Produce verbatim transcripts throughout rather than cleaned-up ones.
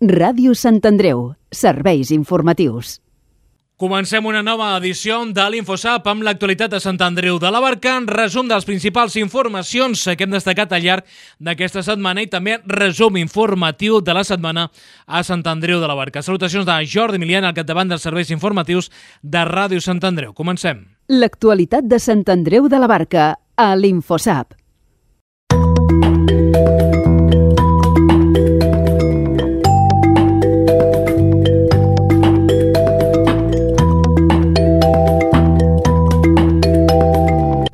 Ràdio Sant Andreu, serveis informatius. Comencem una nova edició de l'InfoSap amb l'actualitat de Sant Andreu de la Barca, resum de les principals informacions que hem destacat al llarg d'aquesta setmana i també resum informatiu de la setmana a Sant Andreu de la Barca. Salutacions de Jordi Milian al capdavant dels serveis informatius de Ràdio Sant Andreu. Comencem. L'actualitat de Sant Andreu de la Barca a l'InfoSap.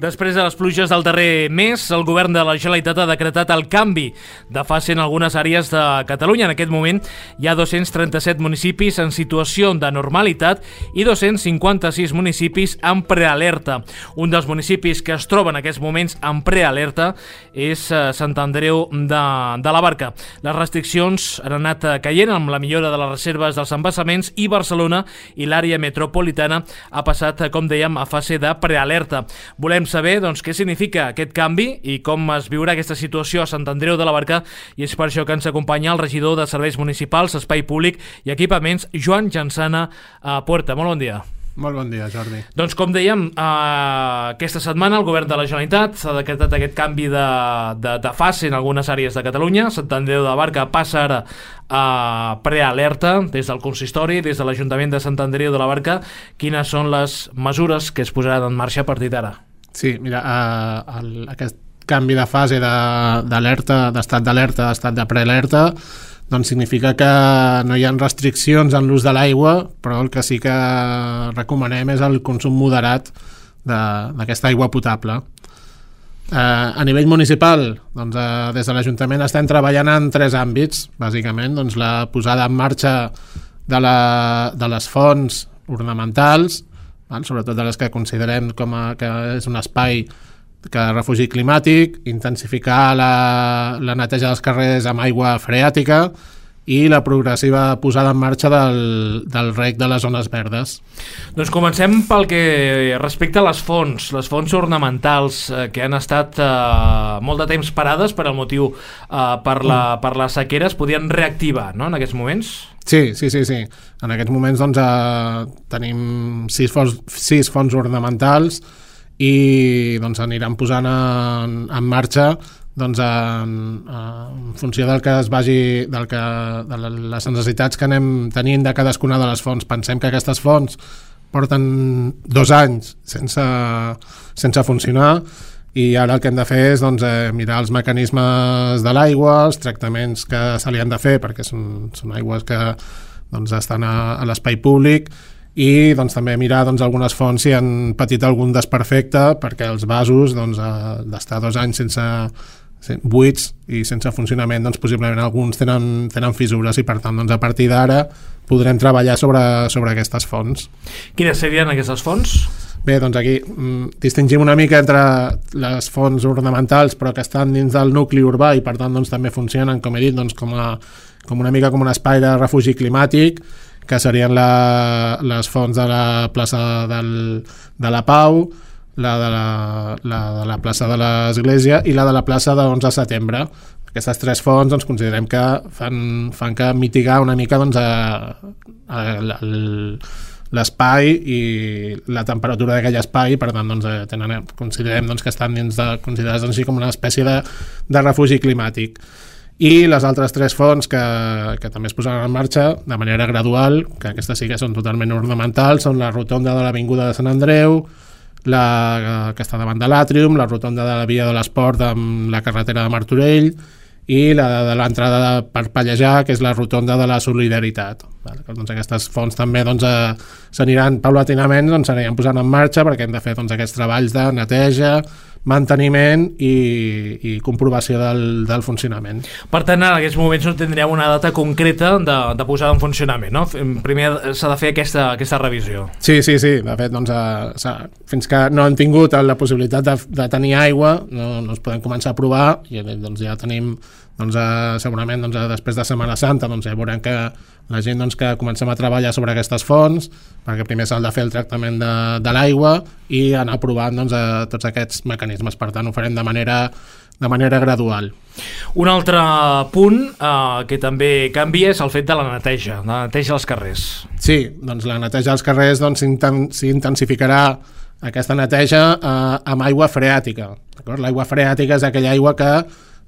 Després de les pluges del darrer mes, el govern de la Generalitat ha decretat el canvi de fase en algunes àrees de Catalunya. En aquest moment hi ha dos-cents trenta-set municipis en situació de normalitat i dos-cents cinquanta-sis municipis en prealerta. Un dels municipis que es troba en aquests moments en prealerta és Sant Andreu de, de la Barca. Les restriccions han anat caient amb la millora de les reserves dels embassaments i Barcelona i l'àrea metropolitana ha passat, com dèiem, a fase de prealerta. Volem saber saber doncs, què significa aquest canvi i com es viurà aquesta situació a Sant Andreu de la Barca, i és per això que ens acompanya el regidor de Serveis Municipals, Espai Públic i Equipaments, Joan Jansana a Puerta. Molt bon dia. Molt bon dia, Jordi. Doncs com dèiem, eh, aquesta setmana el govern de la Generalitat ha decretat aquest canvi de, de, de fase en algunes àrees de Catalunya. Sant Andreu de la Barca passa ara a prealerta des del consistori, des de l'Ajuntament de Sant Andreu de la Barca. Quines són les mesures que es posaran en marxa a partir d'ara? Sí, mira, eh, el, aquest canvi de fase d'alerta, d'estat d'alerta, d'estat de prealerta, doncs significa que no hi ha restriccions en l'ús de l'aigua, però el que sí que recomanem és el consum moderat d'aquesta aigua potable. Eh, a nivell municipal, doncs, eh, des de l'Ajuntament estem treballant en tres àmbits, bàsicament, doncs, la posada en marxa de, la, de les fonts ornamentals, sobretot de les que considerem com a, que és un espai que refugi climàtic, intensificar la, la neteja dels carrers amb aigua freàtica i la progressiva posada en marxa del, del reg de les zones verdes. Doncs comencem pel que respecta a les fonts, les fonts ornamentals eh, que han estat eh, molt de temps parades per al motiu eh, per, la, per la sequera, es podien reactivar, no?, en aquests moments? Sí, sí, sí, sí. En aquests moments doncs, eh, tenim sis fonts, sis fonts ornamentals i doncs, aniran posant en, en marxa doncs, en, en funció del que es vagi, del que, de les necessitats que anem tenint de cadascuna de les fonts. Pensem que aquestes fonts porten dos anys sense, sense funcionar i ara el que hem de fer és doncs, eh, mirar els mecanismes de l'aigua, els tractaments que se li han de fer perquè són, són aigües que doncs, estan a, a l'espai públic i doncs, també mirar doncs, algunes fonts si han patit algun desperfecte perquè els vasos doncs, eh, d'estar dos anys sense buits i sense funcionament, doncs possiblement alguns tenen, tenen fissures i per tant doncs, a partir d'ara podrem treballar sobre, sobre aquestes fonts. Quines serien aquestes fonts? Bé, doncs aquí mm, distingim una mica entre les fonts ornamentals però que estan dins del nucli urbà i per tant doncs, també funcionen, com he dit, doncs, com, a, com una mica com un espai de refugi climàtic, que serien la, les fonts de la plaça del, de la Pau, la de la, la de la plaça de l'Església i la de la plaça de l'onze de setembre. Aquestes tres fonts doncs, considerem que fan, fan que mitigar una mica doncs, a, a, a, l'espai i la temperatura d'aquell espai, per tant doncs, tenen, considerem doncs, que estan dins de, considerats doncs, com una espècie de, de refugi climàtic. I les altres tres fonts que, que també es posaran en marxa de manera gradual, que aquestes sí que són totalment ornamentals, són la rotonda de l'Avinguda de Sant Andreu, la que està davant de l'Àtrium, la rotonda de la Via de l'Esport amb la carretera de Martorell i la de l'entrada per Pallejà, que és la rotonda de la Solidaritat. Doncs aquestes fonts també doncs, s'aniran paulatinament, doncs, s'aniran posant en marxa perquè hem de fer doncs, aquests treballs de neteja, manteniment i, i comprovació del, del funcionament. Per tant, en aquests moments no tindríem una data concreta de, de posada en funcionament, no? Primer s'ha de fer aquesta, aquesta revisió. Sí, sí, sí. De fet, doncs, a, fins que no hem tingut la possibilitat de, de tenir aigua, no, no es podem començar a provar i doncs, ja tenim doncs, eh, segurament doncs, després de Setmana Santa doncs, ja veurem que la gent doncs, que comencem a treballar sobre aquestes fonts, perquè primer s'ha de fer el tractament de, de l'aigua i anar provant doncs, a tots aquests mecanismes. Per tant, ho farem de manera de manera gradual. Un altre punt eh, que també canvia és el fet de la neteja, la neteja als carrers. Sí, doncs la neteja als carrers doncs, s'intensificarà aquesta neteja eh, amb aigua freàtica. L'aigua freàtica és aquella aigua que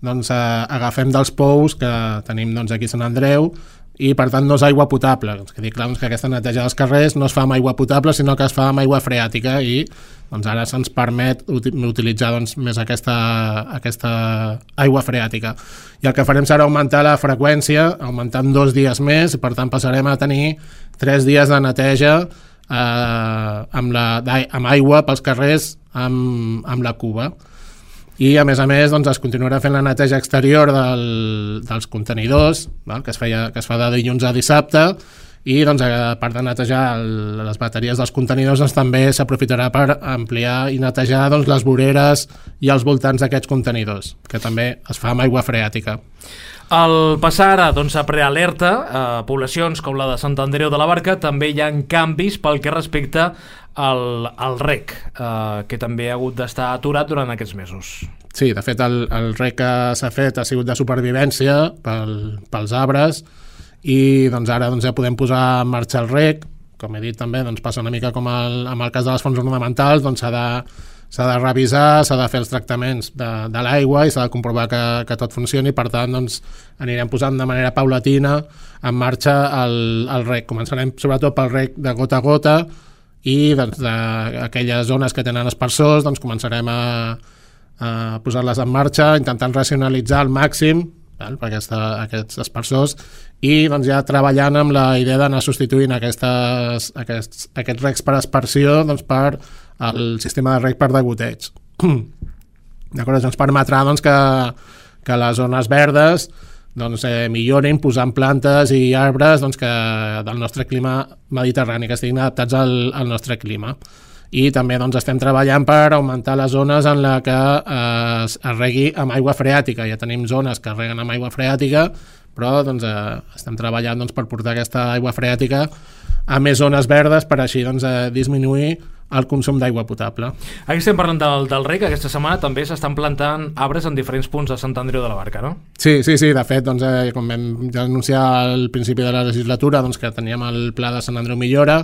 doncs, eh, agafem dels pous que tenim doncs, aquí a Sant Andreu, i per tant no és aigua potable. És que, dir, clar, doncs, que aquesta neteja dels carrers no es fa amb aigua potable, sinó que es fa amb aigua freàtica, i doncs, ara se'ns permet utilitzar doncs, més aquesta, aquesta aigua freàtica. I el que farem serà augmentar la freqüència, augmentant dos dies més, i per tant passarem a tenir tres dies de neteja eh, amb, la, amb aigua pels carrers amb, amb la cuba. I a més a més doncs, es continuarà fent la neteja exterior del, dels contenidors, val? Que, es feia, que es fa de dilluns a dissabte, i doncs, a part de netejar el, les bateries dels contenidors doncs, també s'aprofitarà per ampliar i netejar doncs, les voreres i els voltants d'aquests contenidors, que també es fa amb aigua freàtica. Al passar ara doncs, a prealerta, a poblacions com la de Sant Andreu de la Barca també hi ha canvis pel que respecta al, al rec, eh, que també ha hagut d'estar aturat durant aquests mesos. Sí, de fet el, el rec que s'ha fet ha sigut de supervivència pel, pels arbres, i doncs, ara doncs, ja podem posar en marxa el rec. Com he dit també, doncs, passa una mica com el, amb el cas de les fonts ornamentals, doncs s'ha de s'ha de revisar, s'ha de fer els tractaments de, de l'aigua i s'ha de comprovar que, que tot funcioni. Per tant, doncs, anirem posant de manera paulatina en marxa el, el rec. Començarem sobretot pel rec de gota a gota, i doncs, d'aquelles zones que tenen aspersors doncs, començarem a, a posar-les en marxa, intentant racionalitzar al màxim val, per aquesta, aquests aspersors, i doncs, ja treballant amb la idea d'anar substituint aquestes, aquests, aquests recs per aspersió doncs, per el sistema de rec per degoteig. D'acord? Això ens permetrà doncs, que, que les zones verdes doncs, eh, millorin posant plantes i arbres doncs, que del nostre clima mediterrani, que estiguin adaptats al, al nostre clima. I també doncs, estem treballant per augmentar les zones en la que eh, es, es regui amb aigua freàtica. Ja tenim zones que es reguen amb aigua freàtica, però doncs, eh, estem treballant doncs, per portar aquesta aigua freàtica a més zones verdes, per així doncs, eh, disminuir el consum d'aigua potable. Aquí estem parlant del, del rec. Aquesta setmana també s'estan plantant arbres en diferents punts de Sant Andreu de la Barca, no? Sí, sí, sí. De fet, doncs, eh, com vam ja anunciar al principi de la legislatura, doncs, que teníem el pla de Sant Andreu Millora,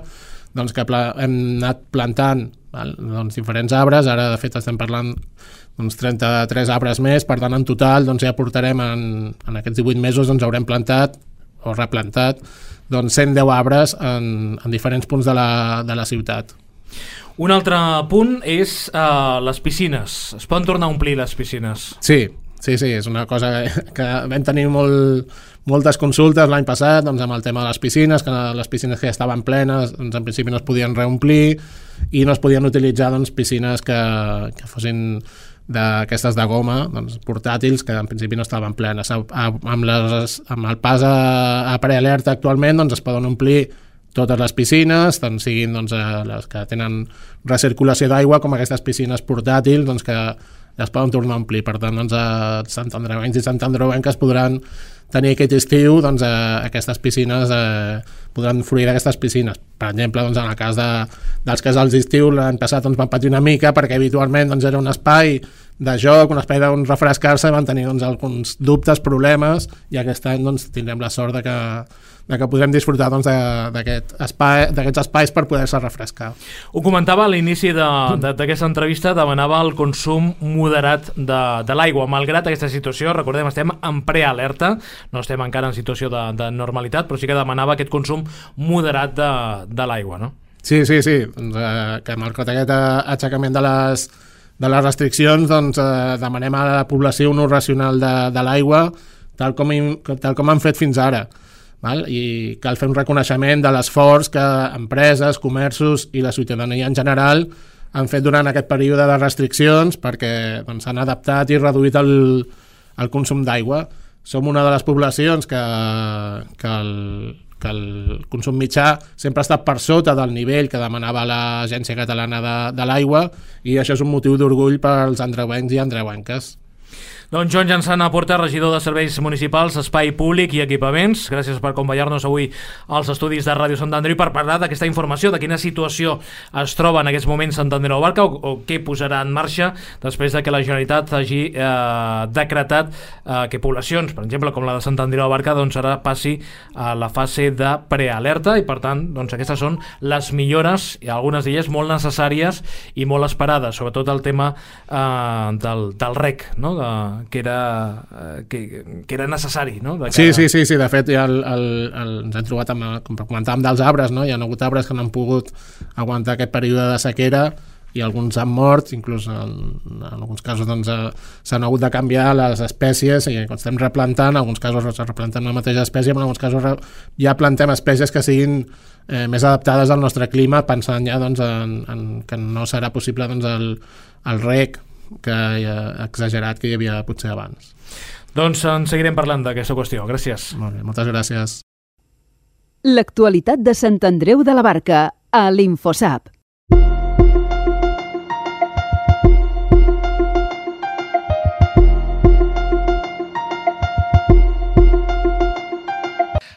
doncs, que pla, hem anat plantant val, doncs, diferents arbres. Ara, de fet, estem parlant d'uns trenta-tres arbres més. Per tant, en total, doncs, ja portarem en, en aquests divuit mesos, doncs, haurem plantat o replantat doncs, cent deu arbres en, en diferents punts de la, de la ciutat. Un altre punt és uh, les piscines. Es poden tornar a omplir les piscines? Sí, sí, sí, és una cosa que, que vam tenir molt, moltes consultes l'any passat doncs, amb el tema de les piscines, que les piscines que ja estaven plenes doncs, en principi no es podien reomplir i no es podien utilitzar doncs, piscines que, que fossin d'aquestes de goma, doncs, portàtils, que en principi no estaven plenes. A, a, amb, les, amb el pas a, a prealerta actualment doncs, es poden omplir totes les piscines, tant siguin doncs, les que tenen recirculació d'aigua com aquestes piscines portàtils doncs, que ja es poden tornar a omplir. Per tant, doncs, a Sant Andreuencs i Sant Andreuenques podran tenir aquest estiu doncs, eh, aquestes piscines, eh, podran fruir d'aquestes piscines. Per exemple, doncs, en el cas de, dels casals d'estiu, l'any passat doncs, van patir una mica perquè habitualment doncs, era un espai de joc, un espai d'on refrescar-se, van tenir doncs, alguns dubtes, problemes, i aquest any doncs, tindrem la sort de que, de que podrem disfrutar doncs, d'aquest espai, d'aquests espais per poder-se refrescar. Ho comentava a l'inici d'aquesta entrevista, demanava el consum moderat de, de l'aigua. Malgrat aquesta situació, recordem, estem en prealerta, no estem encara en situació de, de normalitat, però sí que demanava aquest consum moderat de, de l'aigua, no? Sí, sí, sí. Doncs, eh, que amb aquest aixecament de les, de les restriccions doncs, eh, demanem a la població un ús racional de, de l'aigua, tal com, tal com han fet fins ara. Val? I cal fer un reconeixement de l'esforç que empreses, comerços i la ciutadania en general han fet durant aquest període de restriccions perquè doncs, s'han adaptat i reduït el, el consum d'aigua. Som una de les poblacions que, que, el, que el consum mitjà sempre ha estat per sota del nivell que demanava l'Agència Catalana de, de l'Aigua, i això és un motiu d'orgull pels andreuencs i andreuenques. Doncs Joan Jansana Porta, regidor de Serveis Municipals, Espai Públic i Equipaments, gràcies per acompanyar-nos avui als estudis de Ràdio Sant Andreu per parlar d'aquesta informació, de quina situació es troba en aquests moments Sant Andreu Abarca o, o què posarà en marxa després de que la Generalitat hagi eh, decretat eh, que poblacions, per exemple, com la de Sant Andreu Abarca, doncs ara passi a la fase de prealerta i per tant, doncs aquestes són les millores, i algunes d'elles molt necessàries i molt esperades, sobretot el tema eh, del, del rec, no?, de que era, que, que era necessari, no? De sí, sí, sí, sí, de fet ja el, el, el, ens hem trobat amb, com comentàvem dels arbres, no? Hi ha hagut arbres que no han pogut aguantar aquest període de sequera i alguns han mort, inclús en, en alguns casos doncs, s'han hagut de canviar les espècies i quan estem replantant, en alguns casos replantem la mateixa espècie, però en alguns casos ja plantem espècies que siguin eh, més adaptades al nostre clima, pensant ja doncs, en, en, que no serà possible doncs, el, el rec que hi ha exagerat que hi havia potser abans. Doncs en seguirem parlant d'aquesta qüestió. Gràcies. Molt bé, moltes gràcies. L'actualitat de Sant Andreu de la Barca a l'Infosap.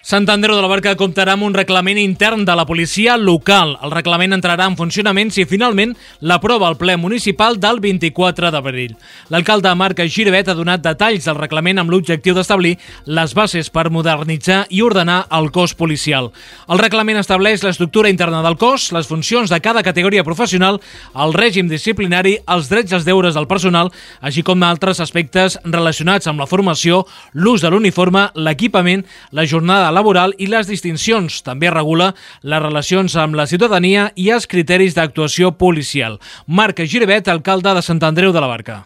Sant Andreu de la Barca comptarà amb un reglament intern de la policia local. El reglament entrarà en funcionament si finalment l'aprova el ple municipal del vint-i-quatre d'abril. L'alcalde Marc Giribet ha donat detalls del reglament amb l'objectiu d'establir les bases per modernitzar i ordenar el cos policial. El reglament estableix l'estructura interna del cos, les funcions de cada categoria professional, el règim disciplinari, els drets i els deures del personal, així com altres aspectes relacionats amb la formació, l'ús de l'uniforme, l'equipament, la jornada laboral i les distincions. També regula les relacions amb la ciutadania i els criteris d'actuació policial. Marc Giribet, alcalde de Sant Andreu de la Barca.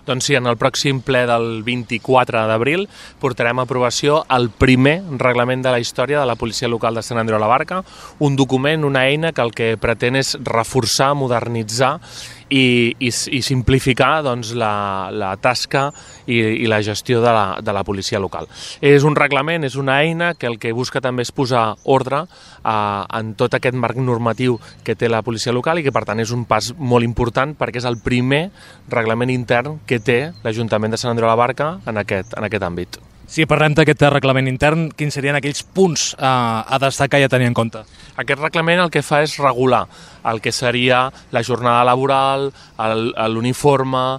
Doncs sí, en el pròxim ple del vint-i-quatre d'abril portarem a aprovació el primer reglament de la història de la policia local de Sant Andreu de la Barca, un document, una eina que el que pretén és reforçar, modernitzar i, i, i simplificar doncs, la, la tasca i, i la gestió de la, de la policia local. És un reglament, és una eina que el que busca també és posar ordre eh, en tot aquest marc normatiu que té la policia local i que per tant és un pas molt important perquè és el primer reglament intern que té l'Ajuntament de Sant Andreu de la Barca en aquest, en aquest àmbit. Si parlem d'aquest reglament intern, quins serien aquells punts eh, a destacar i a tenir en compte? Aquest reglament el que fa és regular el que seria la jornada laboral, l'uniforme,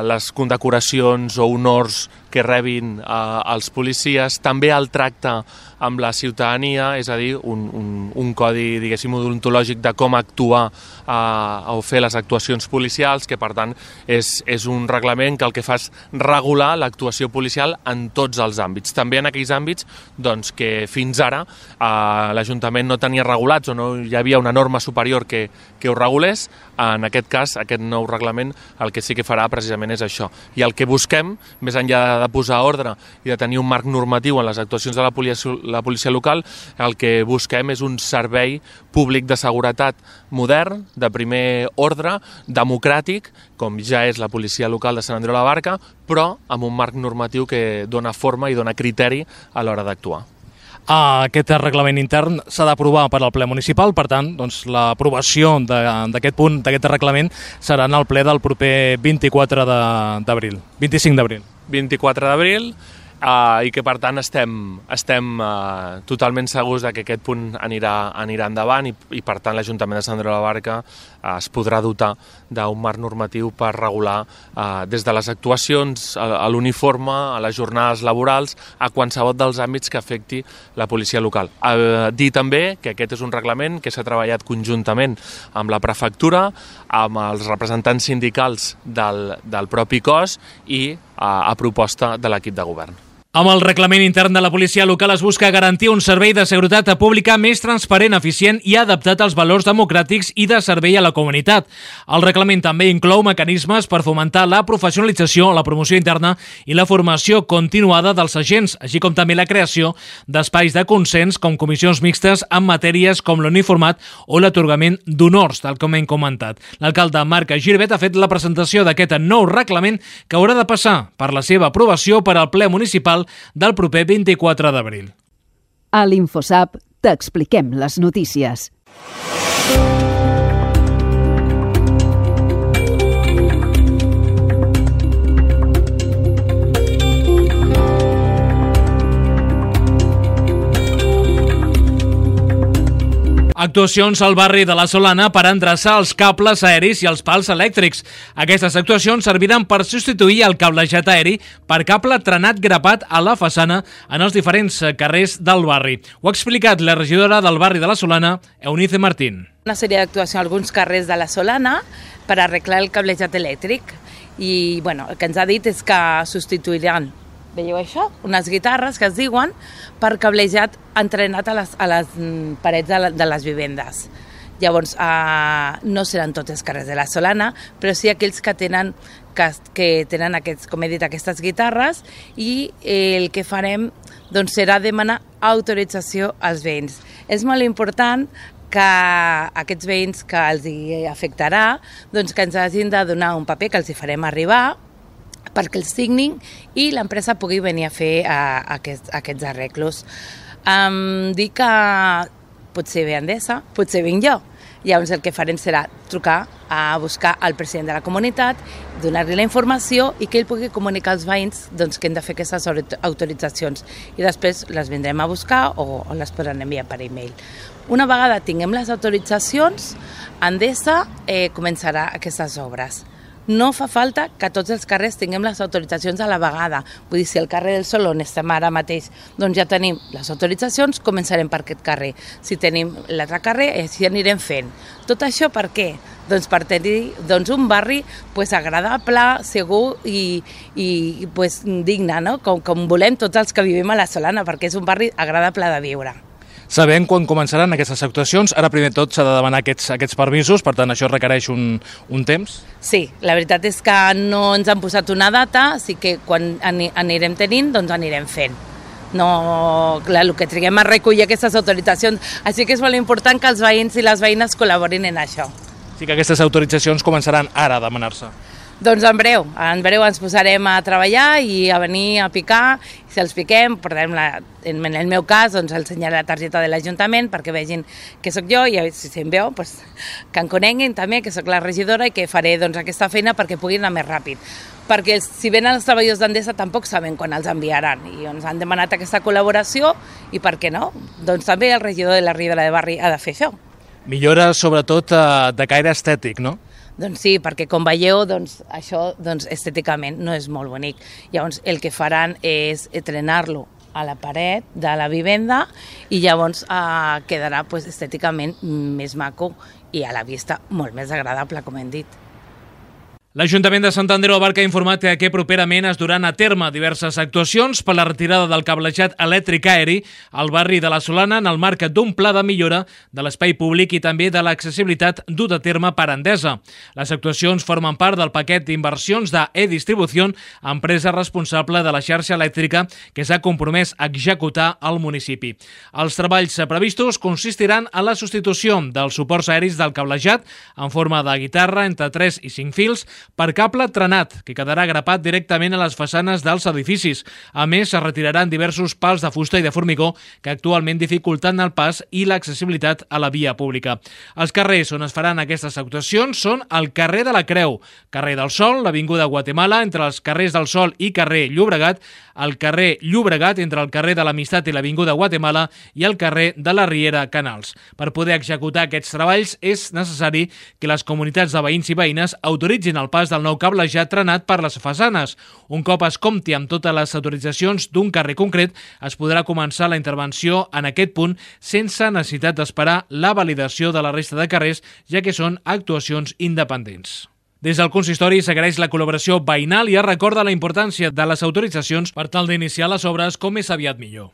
les condecoracions o honors que rebin eh, els policies, també el tracte amb la ciutadania, és a dir, un, un, un codi, diguéssim, odontològic de com actuar eh, o fer les actuacions policials, que per tant és, és un reglament que el que fa és regular l'actuació policial en tots els àmbits. També en aquells àmbits doncs, que fins ara eh, l'Ajuntament no tenia regulats o no hi havia una norma superior que, que ho regulés. En aquest cas, aquest nou reglament el que sí que farà precisament és això. I el que busquem, més enllà de posar ordre i de tenir un marc normatiu en les actuacions de la policia, la policia local, el que busquem és un servei públic de seguretat modern, de primer ordre, democràtic, com ja és la policia local de Sant Andreu de la Barca, però amb un marc normatiu que dona forma i dona criteri a l'hora d'actuar. Aquest reglament intern s'ha d'aprovar per al ple municipal, per tant, doncs, l'aprovació d'aquest punt, d'aquest reglament, serà en el ple del proper vint-i-quatre d'abril, vint-i-cinc d'abril. vint-i-quatre d'abril, Uh, i que per tant estem, estem uh, totalment segurs de que aquest punt anirà, anirà endavant i, i per tant l'Ajuntament de Sant Andreu de la Barca uh, es podrà dotar d'un marc normatiu per regular uh, des de les actuacions, a, a l'uniforme, a les jornades laborals, a qualsevol dels àmbits que afecti la policia local. Uh, dir també que aquest és un reglament que s'ha treballat conjuntament amb la prefectura, amb els representants sindicals del, del propi cos i uh, a proposta de l'equip de govern. Amb el reglament intern de la policia local es busca garantir un servei de seguretat pública més transparent, eficient i adaptat als valors democràtics i de servei a la comunitat. El reglament també inclou mecanismes per fomentar la professionalització, la promoció interna i la formació continuada dels agents, així com també la creació d'espais de consens com comissions mixtes en matèries com l'uniformat o l'atorgament d'honors, tal com hem comentat. L'alcalde Marc Giribet ha fet la presentació d'aquest nou reglament que haurà de passar per la seva aprovació per al ple municipal del proper vint-i-quatre d'abril. A l'Infosap t'expliquem les notícies. Actuacions al barri de la Solana per endreçar els cables aeris i els pals elèctrics. Aquestes actuacions serviran per substituir el cablejat aeri per cable trenat grapat a la façana en els diferents carrers del barri. Ho ha explicat la regidora del barri de la Solana, Eunice Martín. Una sèrie d'actuacions a alguns carrers de la Solana per arreglar el cablejat elèctric i bueno, el que ens ha dit és que substituiran, veieu això? Unes guitarres que es diuen per cablejat entrenat a les, a les parets de, la, de les vivendes. Llavors, eh, no seran tots els carrers de la Solana, però sí aquells que tenen, que, que tenen aquests, com he dit, aquestes guitarres, i eh, el que farem doncs, serà demanar autorització als veïns. És molt important que aquests veïns que els hi afectarà, doncs que ens hagin de donar un paper que els hi farem arribar perquè els signin i l'empresa pugui venir a fer uh, aquests, aquests arreglos. Um, dic que potser ve Endesa, potser vinc jo. Llavors el que farem serà trucar a buscar el president de la comunitat, donar-li la informació i que ell pugui comunicar als veïns doncs, que hem de fer aquestes autoritzacions i després les vindrem a buscar o, o les podran enviar per e-mail. Una vegada tinguem les autoritzacions, Endesa eh, començarà aquestes obres. No fa falta que tots els carrers tinguem les autoritzacions a la vegada. Vull dir, si el carrer del Sol, on estem ara mateix, doncs ja tenim les autoritzacions, començarem per aquest carrer. Si tenim l'altre carrer, així anirem fent. Tot això per què? Doncs per tenir doncs, un barri pues, agradable, segur i, i pues, digne, no? com, com volem tots els que vivim a la Solana, perquè és un barri agradable de viure. Sabem quan començaran aquestes actuacions. Ara, primer tot, s'ha de demanar aquests, aquests permisos, per tant, això requereix un, un temps? Sí, la veritat és que no ens han posat una data, així que quan anirem tenint, doncs anirem fent. No, clar, el que triguem a recollir aquestes autoritzacions. Així que és molt important que els veïns i les veïnes col·laborin en això. Sí que aquestes autoritzacions començaran ara a demanar-se. Doncs en breu, en breu ens posarem a treballar i a venir a picar. Si els piquem, portarem la, en el meu cas, doncs ensenyaré la targeta de l'Ajuntament perquè vegin que sóc jo i si em veu, doncs, que em coneguin també, que sóc la regidora i que faré doncs, aquesta feina perquè puguin anar més ràpid. Perquè si venen els treballadors d'Endesa tampoc saben quan els enviaran i ens han demanat aquesta col·laboració i per què no? Doncs també el regidor de la regidora de barri ha de fer això. Millora sobretot de caire estètic, no? Doncs sí, perquè com veieu, doncs, això doncs, estèticament no és molt bonic. Llavors el que faran és trenar-lo a la paret de la vivenda i llavors eh, quedarà pues, estèticament més maco i a la vista molt més agradable, com hem dit. L'Ajuntament de Sant Andreu de la Barca ha informat que properament es duran a terme diverses actuacions per la retirada del cablejat elèctric aeri al barri de la Solana en el marc d'un pla de millora de l'espai públic i també de l'accessibilitat dut a terme per Endesa. Les actuacions formen part del paquet d'inversions d'E-Distribució, empresa responsable de la xarxa elèctrica que s'ha compromès a executar al municipi. Els treballs previstos consistiran en la substitució dels suports aeris del cablejat en forma de guitarra entre tres i cinc fils per cable trenat, que quedarà grapat directament a les façanes dels edificis. A més, es retiraran diversos pals de fusta i de formigó que actualment dificulten el pas i l'accessibilitat a la via pública. Els carrers on es faran aquestes actuacions són el carrer de la Creu, carrer del Sol, l'avinguda Guatemala, entre els carrers del Sol i carrer Llobregat, el carrer Llobregat entre el carrer de l'Amistat i l'avinguda Guatemala i el carrer de la Riera Canals. Per poder executar aquests treballs és necessari que les comunitats de veïns i veïnes autoritzin el pas del nou cablejat trenat per les façanes. Un cop es compti amb totes les autoritzacions d'un carrer concret, es podrà començar la intervenció en aquest punt sense necessitat d'esperar la validació de la resta de carrers, ja que són actuacions independents. Des del consistori s'agraeix la col·laboració veïnal i es recorda la importància de les autoritzacions per tal d'iniciar les obres com més aviat millor.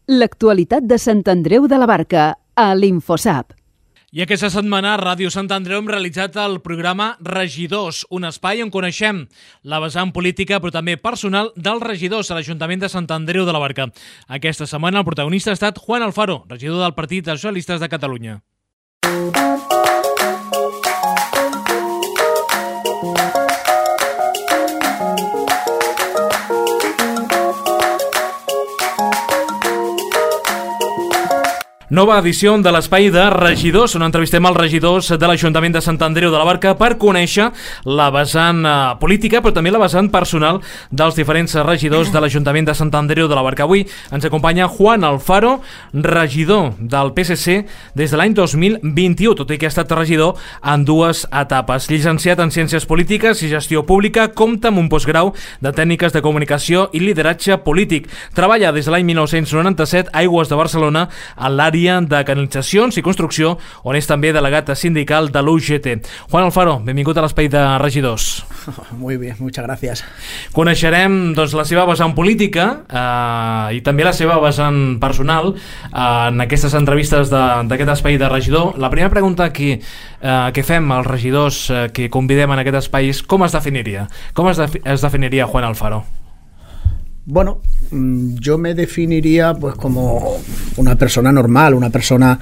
L'actualitat de Sant Andreu de la Barca a l'Infosap. I aquesta setmana a Ràdio Sant Andreu hem realitzat el programa Regidors, un espai on coneixem la vessant política però també personal dels regidors a l'Ajuntament de Sant Andreu de la Barca. Aquesta setmana el protagonista ha estat Juan Alfaro, regidor del Partit dels Socialistes de Catalunya. Nova edició de l'Espai de Regidors, on entrevistem els regidors de l'Ajuntament de Sant Andreu de la Barca per conèixer la vessant eh, política, però també la vessant personal dels diferents regidors de l'Ajuntament de Sant Andreu de la Barca. Avui ens acompanya Juan Alfaro, regidor del P S C des de l'any dos mil vint-i-u, tot i que ha estat regidor en dues etapes. Llicenciat en Ciències Polítiques i Gestió Pública, compta amb un postgrau de Tècniques de Comunicació i Lideratge Polític. Treballa des de l'any mil nou-cents noranta-set a Aigües de Barcelona en l'àrea de canalitzacions i construcció, on és també delegat sindical de l'U G T. Juan Alfaro, benvingut a l'Espai de Regidors. Muy bien, muchas gracias. Coneixerem doncs, la seva vessant política eh, i també la seva vessant personal eh, en aquestes entrevistes d'aquest de, Espai de Regidor. La primera pregunta que, eh, que fem als regidors eh, que convidem en aquest espai és com es definiria? Com es, de, es definiria Juan Alfaro? Bueno, yo me definiría pues como una persona normal, una persona,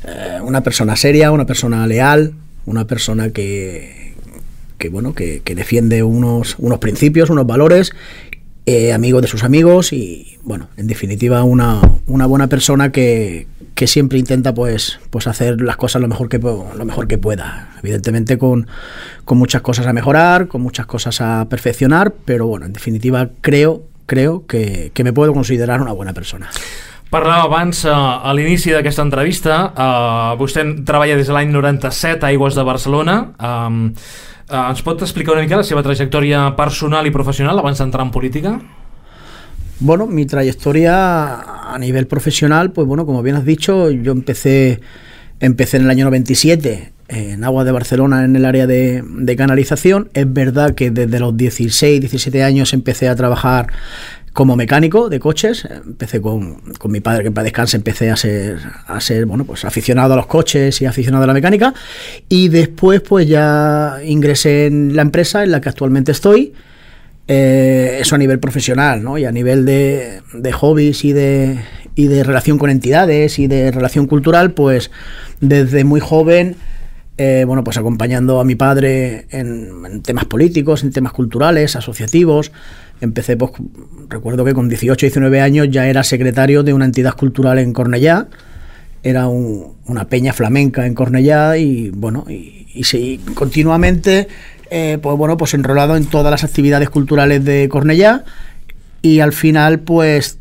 eh, una persona seria, una persona leal, una persona que, que bueno, que, que defiende unos, unos principios, unos valores, eh, amigo de sus amigos y, bueno, en definitiva una, una buena persona que, que siempre intenta pues, pues hacer las cosas lo mejor que, lo mejor que pueda. Evidentemente con, con muchas cosas a mejorar, con muchas cosas a perfeccionar, pero bueno, en definitiva creo creo que, que me puedo considerar una buena persona. Parlàvem abans, uh, a l'inici d'aquesta entrevista, uh, vostè treballa des de l'any noranta-set a Aigües de Barcelona. Um, uh, ens pot explicar una mica la seva trajectòria personal i professional abans d'entrar en política? Bueno, mi trayectoria a nivel profesional, pues bueno, como bien has dicho, yo empecé, empecé en el año noventa y siete en Aguas de Barcelona en el área de, de canalización. Es verdad que desde los dieciséis, diecisiete años empecé a trabajar como mecánico de coches. Empecé con, con mi padre, que en paz descanse, empecé a ser, a ser bueno, pues aficionado a los coches y aficionado a la mecánica. Y después pues ya ingresé en la empresa en la que actualmente estoy. Eh, eso a nivel profesional, ¿no? Y a nivel de, de hobbies y de, y de relación con entidades y de relación cultural, pues desde muy joven Eh, bueno, pues acompañando a mi padre en, en temas políticos, en temas culturales, asociativos. Empecé, pues, recuerdo que con dieciocho, diecinueve años ya era secretario de una entidad cultural en Cornellá. Era un, una peña flamenca en Cornellá y, bueno, y, y sí, continuamente, eh, pues bueno, pues enrolado en todas las actividades culturales de Cornellá y al final, pues,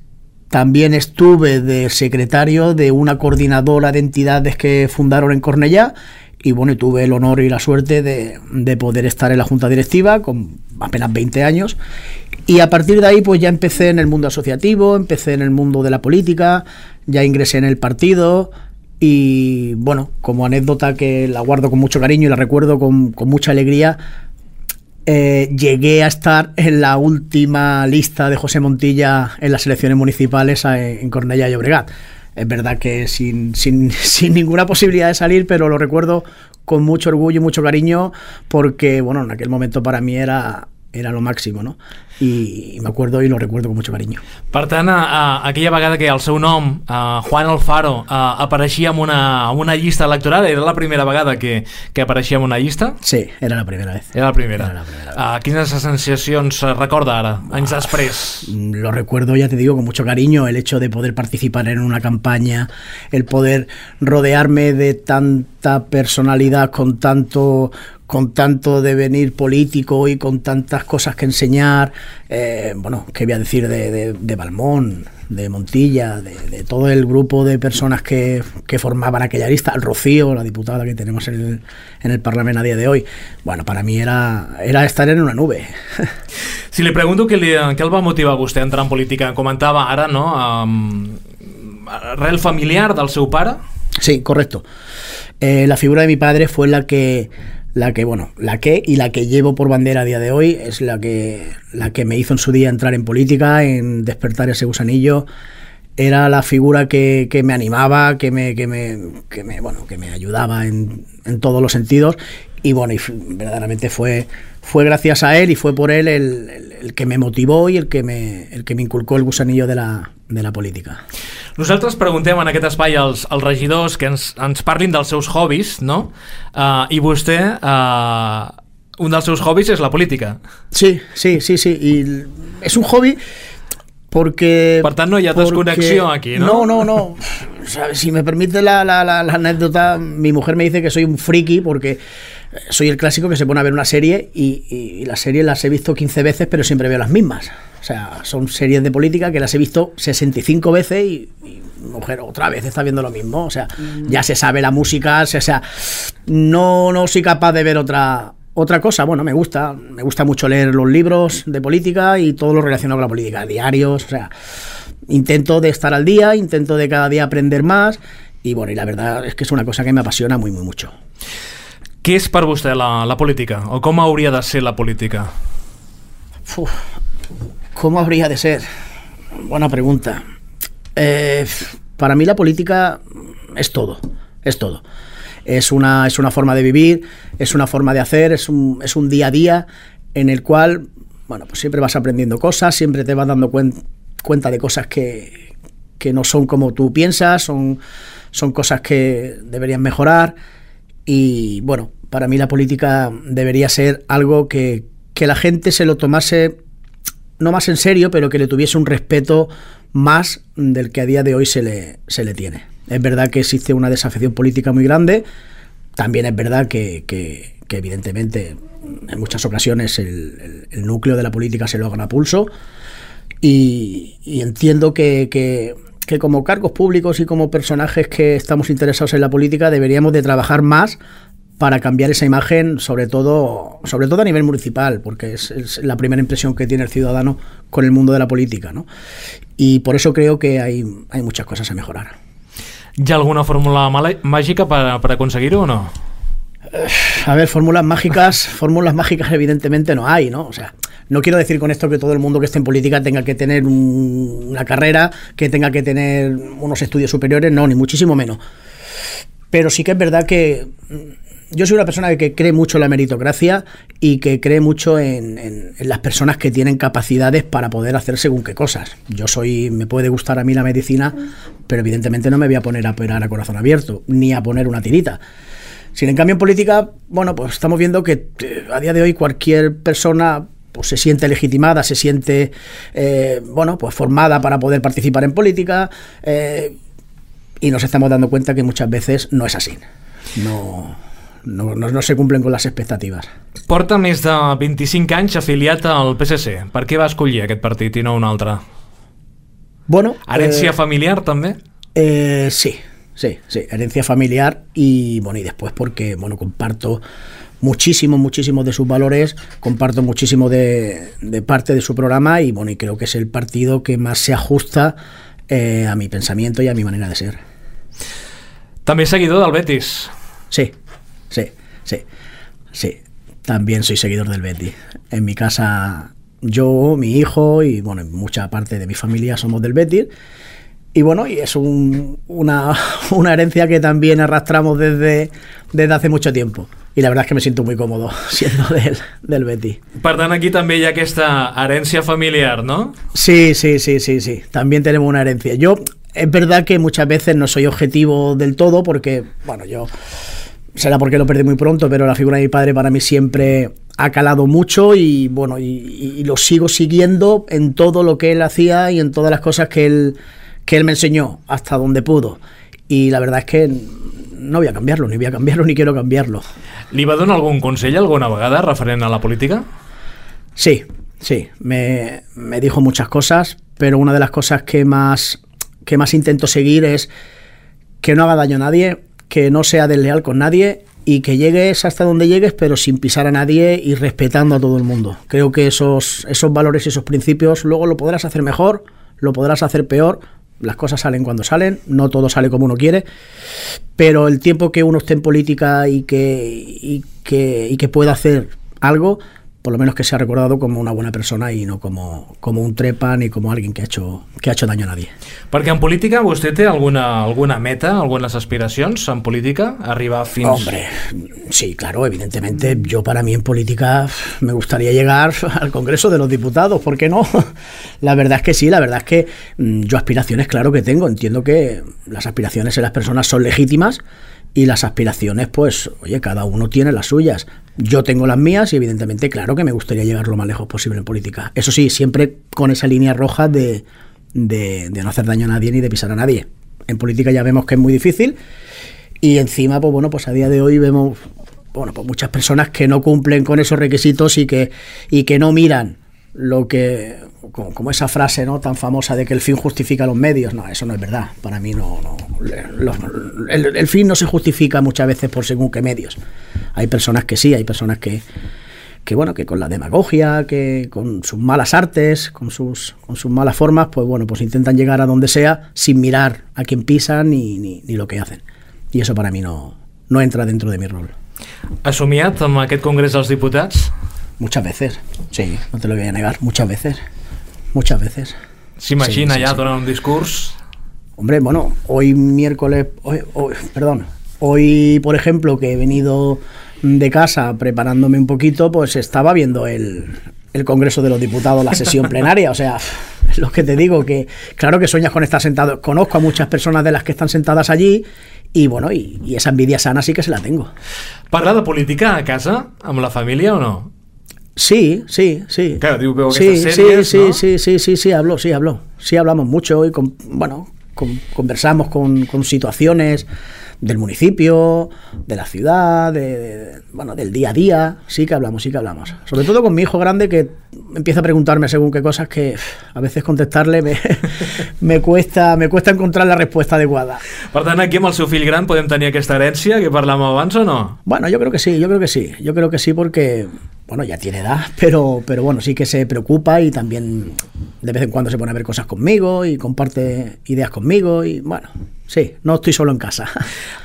también estuve de secretario de una coordinadora de entidades que fundaron en Cornellá. Y bueno, y tuve el honor y la suerte de, de poder estar en la junta directiva con apenas veinte años. Y a partir de ahí pues ya empecé en el mundo asociativo, empecé en el mundo de la política, ya ingresé en el partido y bueno, como anécdota que la guardo con mucho cariño y la recuerdo con, con mucha alegría, eh, llegué a estar en la última lista de José Montilla en las elecciones municipales en Cornellá y Llobregat. Es verdad que sin, sin, sin ninguna posibilidad de salir, pero lo recuerdo con mucho orgullo y mucho cariño porque, bueno, en aquel momento para mí era, era lo máximo, ¿no? I, i m'acuerdo i lo recuerdo con mucho cariño. Per tant, a, a, aquella vegada que el seu nom, a Juan Alfaro, a, apareixia en una, en una llista electoral, era la primera vegada que, que apareixia en una llista? Sí, era la primera vez. Era la primera. Era la primera vez. Uh, quines sensacions recorda ara, anys després? Lo recuerdo, ya te digo, con mucho cariño, el hecho de poder participar en una campaña, el poder rodearme de tanta personalidad con tanto... con tanto devenir político y con tantas cosas que enseñar, eh, bueno, qué voy a decir de, de, de Balmón, de Montilla, de, de todo el grupo de personas que, que formaban aquella lista, el Rocío, la diputada que tenemos en el, en el Parlamento a día de hoy. Bueno, para mí era, era estar en una nube. Si li pregunto què, li, què el va motivar a vostè a entrar en política, comentava ara, no?, um, arrel familiar del seu pare? Sí, correcto. Eh, la figura de mi padre fue la que... la que, bueno, la que y la que llevo por bandera a día de hoy, es la que, la que me hizo en su día entrar en política, en despertar ese gusanillo. Era la figura que, que me animaba, que me, que me, que me, bueno, que me ayudaba en, en todos los sentidos. Y bueno, y verdaderamente fue, fue gracias a él y fue por él el, el, el que me motivó y el que me, el que me inculcó el gusanillo de la, de la política. Nosaltres preguntem en aquest espai als, als regidors que ens, ens parlin dels seus hobbies, no? Uh, I vostè, uh, un dels seus hobbies és la política. Sí, sí, sí, sí. Y es un hobby porque... Per tant, no hi ha desconnexió aquí, no? No, no, no. ¿sabes? Si me permite la, la, la, la anécdota, mi mujer me dice que soy un friki porque soy el clásico que se pone a ver una serie y, y, y las series las he visto quince veces, pero siempre veo las mismas. O sea, son series de política que las he visto sesenta y cinco veces y, y mujer otra vez está viendo lo mismo. O sea, mm. ya se sabe la música, o sea, no, no soy capaz de ver otra... Otra cosa, bueno, me gusta, me gusta mucho leer los libros de política y todo lo relacionado con la política, diarios, o sea, intento de estar al día, intento de cada día aprender más y bueno, y la verdad es que es una cosa que me apasiona muy, muy mucho. Què és per vostè la, la política? O com hauria de ser la política? Uf, ¿cómo habría de ser? Buena pregunta. Eh, para mí la política es todo, es todo. Es una, es una forma de vivir, es una forma de hacer, es un, es un día a día en el cual, bueno, pues siempre vas aprendiendo cosas, siempre te vas dando cuen, cuenta de cosas que, que no son como tú piensas, son, son cosas que deberían mejorar y, bueno, para mí la política debería ser algo que, que la gente se lo tomase, no más en serio, pero que le tuviese un respeto más del que a día de hoy se le, se le tiene. Es verdad que existe una desafección política muy grande, también es verdad que, que, que evidentemente en muchas ocasiones el, el, el núcleo de la política se lo gana a pulso y, y entiendo que, que, que como cargos públicos y como personajes que estamos interesados en la política deberíamos de trabajar más para cambiar esa imagen, sobre todo, sobre todo a nivel municipal, porque es, es la primera impresión que tiene el ciudadano con el mundo de la política, ¿no? Y por eso creo que hay, hay muchas cosas a mejorar. ¿Hi ha alguna fórmula mágica para, para conseguirlo o no? A ver, fórmulas mágicas, fórmulas mágicas evidentemente no hay, ¿no? O sea, no quiero decir con esto que todo el mundo que esté en política tenga que tener un, una carrera, que tenga que tener unos estudios superiores, no, ni muchísimo menos. Pero sí que es verdad que yo soy una persona que cree mucho en la meritocracia y que cree mucho en, en, en las personas que tienen capacidades para poder hacer según qué cosas. Yo soy, me puede gustar a mí la medicina, pero evidentemente no me voy a poner a operar a corazón abierto, ni a poner una tirita. Sin en cambio en política, bueno, pues estamos viendo que a día de hoy cualquier persona pues se siente legitimada, se siente, eh, bueno, pues formada para poder participar en política, eh, y nos estamos dando cuenta que muchas veces no es así. No... No, no, no se cumplen con les expectatives. Porta més de vint-i-cinc anys afiliat al P S C. Per què va escollir aquest partit i no un altre? Bueno, ¿Herencia eh, familiar también? Eh, sí, sí, sí, herencia familiar y bueno, y después porque bueno, comparto muchísimo, muchísimos de sus valores, comparto muchísimo de, de parte de su programa y bueno, y creo que es el partido que más se ajusta eh, a mi pensamiento y a mi manera de ser. També seguidor del Betis. Sí. Sí, sí, sí. También soy seguidor del Betis. En mi casa, yo, mi hijo y bueno, mucha parte de mi familia somos del Betis. Y bueno, y es un, una, una herencia que también arrastramos desde, desde hace mucho tiempo. Y la verdad es que me siento muy cómodo siendo del, del Betis. Per tant, aquí també hi ha aquesta herència familiar, ¿no? Sí, sí, sí, sí, sí. También tenemos una herencia. Yo, es verdad que muchas veces no soy objetivo del todo porque, bueno, yo... será porque lo perdí muy pronto, pero la figura de mi padre para mí siempre ha calado mucho y bueno, y, y lo sigo siguiendo en todo lo que él hacía y en todas las cosas que él, que él me enseñó hasta donde pudo. Y la verdad es que no voy a cambiarlo, ni voy a cambiarlo, ni quiero cambiarlo. Li va donar algun consell alguna vegada referent a la política? Sí, sí, me, me dijo muchas cosas, pero una de las cosas que más, que más intento seguir es que no haga daño a nadie, que no sea desleal con nadie y que llegues hasta donde llegues pero sin pisar a nadie y respetando a todo el mundo. Creo que esos, esos valores y esos principios luego lo podrás hacer mejor, lo podrás hacer peor, las cosas salen cuando salen, no todo sale como uno quiere, pero el tiempo que uno esté en política y que, y que, y que pueda hacer algo, por lo menos que sea recordado como una buena persona y no como, como un trepa ni como alguien que ha hecho, que ha hecho daño a nadie. Perquè en política vostè té alguna, alguna meta, algunas aspiracions en política? Arribar fins... Hombre, sí, claro, evidentemente. Yo para mí en política me gustaría llegar al Congreso de los Diputados, ¿por qué no? La verdad es que sí, la verdad es que yo aspiraciones claro que tengo. Entiendo que las aspiraciones de las personas son legítimas y las aspiraciones, pues, oye, cada uno tiene las suyas. Yo tengo las mías y evidentemente, claro que me gustaría llegar lo más lejos posible en política. Eso sí, siempre con esa línea roja de, de, de no hacer daño a nadie ni de pisar a nadie. en política ya vemos que es muy difícil, y encima, pues bueno, pues a día de hoy vemos, bueno, pues muchas personas que no cumplen con esos requisitos y que, y que no miran lo que, como, como esa frase, ¿no?, tan famosa de que el fin justifica los medios. No, eso no es verdad. Para mí no, no los, el, el fin no se justifica muchas veces por según qué medios. Hay personas que sí, hay personas que que bueno, que con la demagogia, que con sus malas artes, con sus, con sus malas formas, pues bueno, pues intentan llegar a donde sea sin mirar a quién pisan ni, ni, ni lo que hacen. I eso para mi no, no entra dentro de mi rol. Has somiat amb aquest Congrés dels Diputats? Muchas veces, sí, no te lo voy a negar, muchas veces, muchas veces. ¿S'imagina sí, sí, ja sí. donant un discurs? Hombre, bueno, hoy miércoles, hoy, hoy, perdón, hoy por ejemplo que he venido de casa preparándome un poquito, pues estaba viendo el, el Congreso de los Diputados, la sesión plenaria, o sea, es lo que te digo, que claro que sueñas con estar sentado, conozco a muchas personas de las que están sentadas allí, y bueno, y, y esa envidia sana sí que se la tengo. Parla de política a casa, amb la família o no? Sí, sí, sí. Claro, digo, veo sí, estas series, sí, ¿no? sí, sí, sí, sí, hablo, sí, hablo, sí hablamos mucho y con, bueno, con, conversamos con, con situaciones del municipio, de la ciudad, de, de, bueno, del día a día, sí que hablamos, sí que hablamos. Sobre todo con mi hijo grande, que empieza a preguntarme según qué cosas que a veces contestarle me, me cuesta me cuesta encontrar la respuesta adecuada. Per tant, aquí amb el seu fill gran podem tenir aquesta herència que parlàvem abans o no? Bueno, yo creo que sí, yo creo que sí, yo creo que sí porque, bueno, ya tiene edad, pero, pero bueno, sí que se preocupa y también de vez en cuando se pone a ver cosas conmigo y comparte ideas conmigo y bueno, sí, no estoy solo en casa.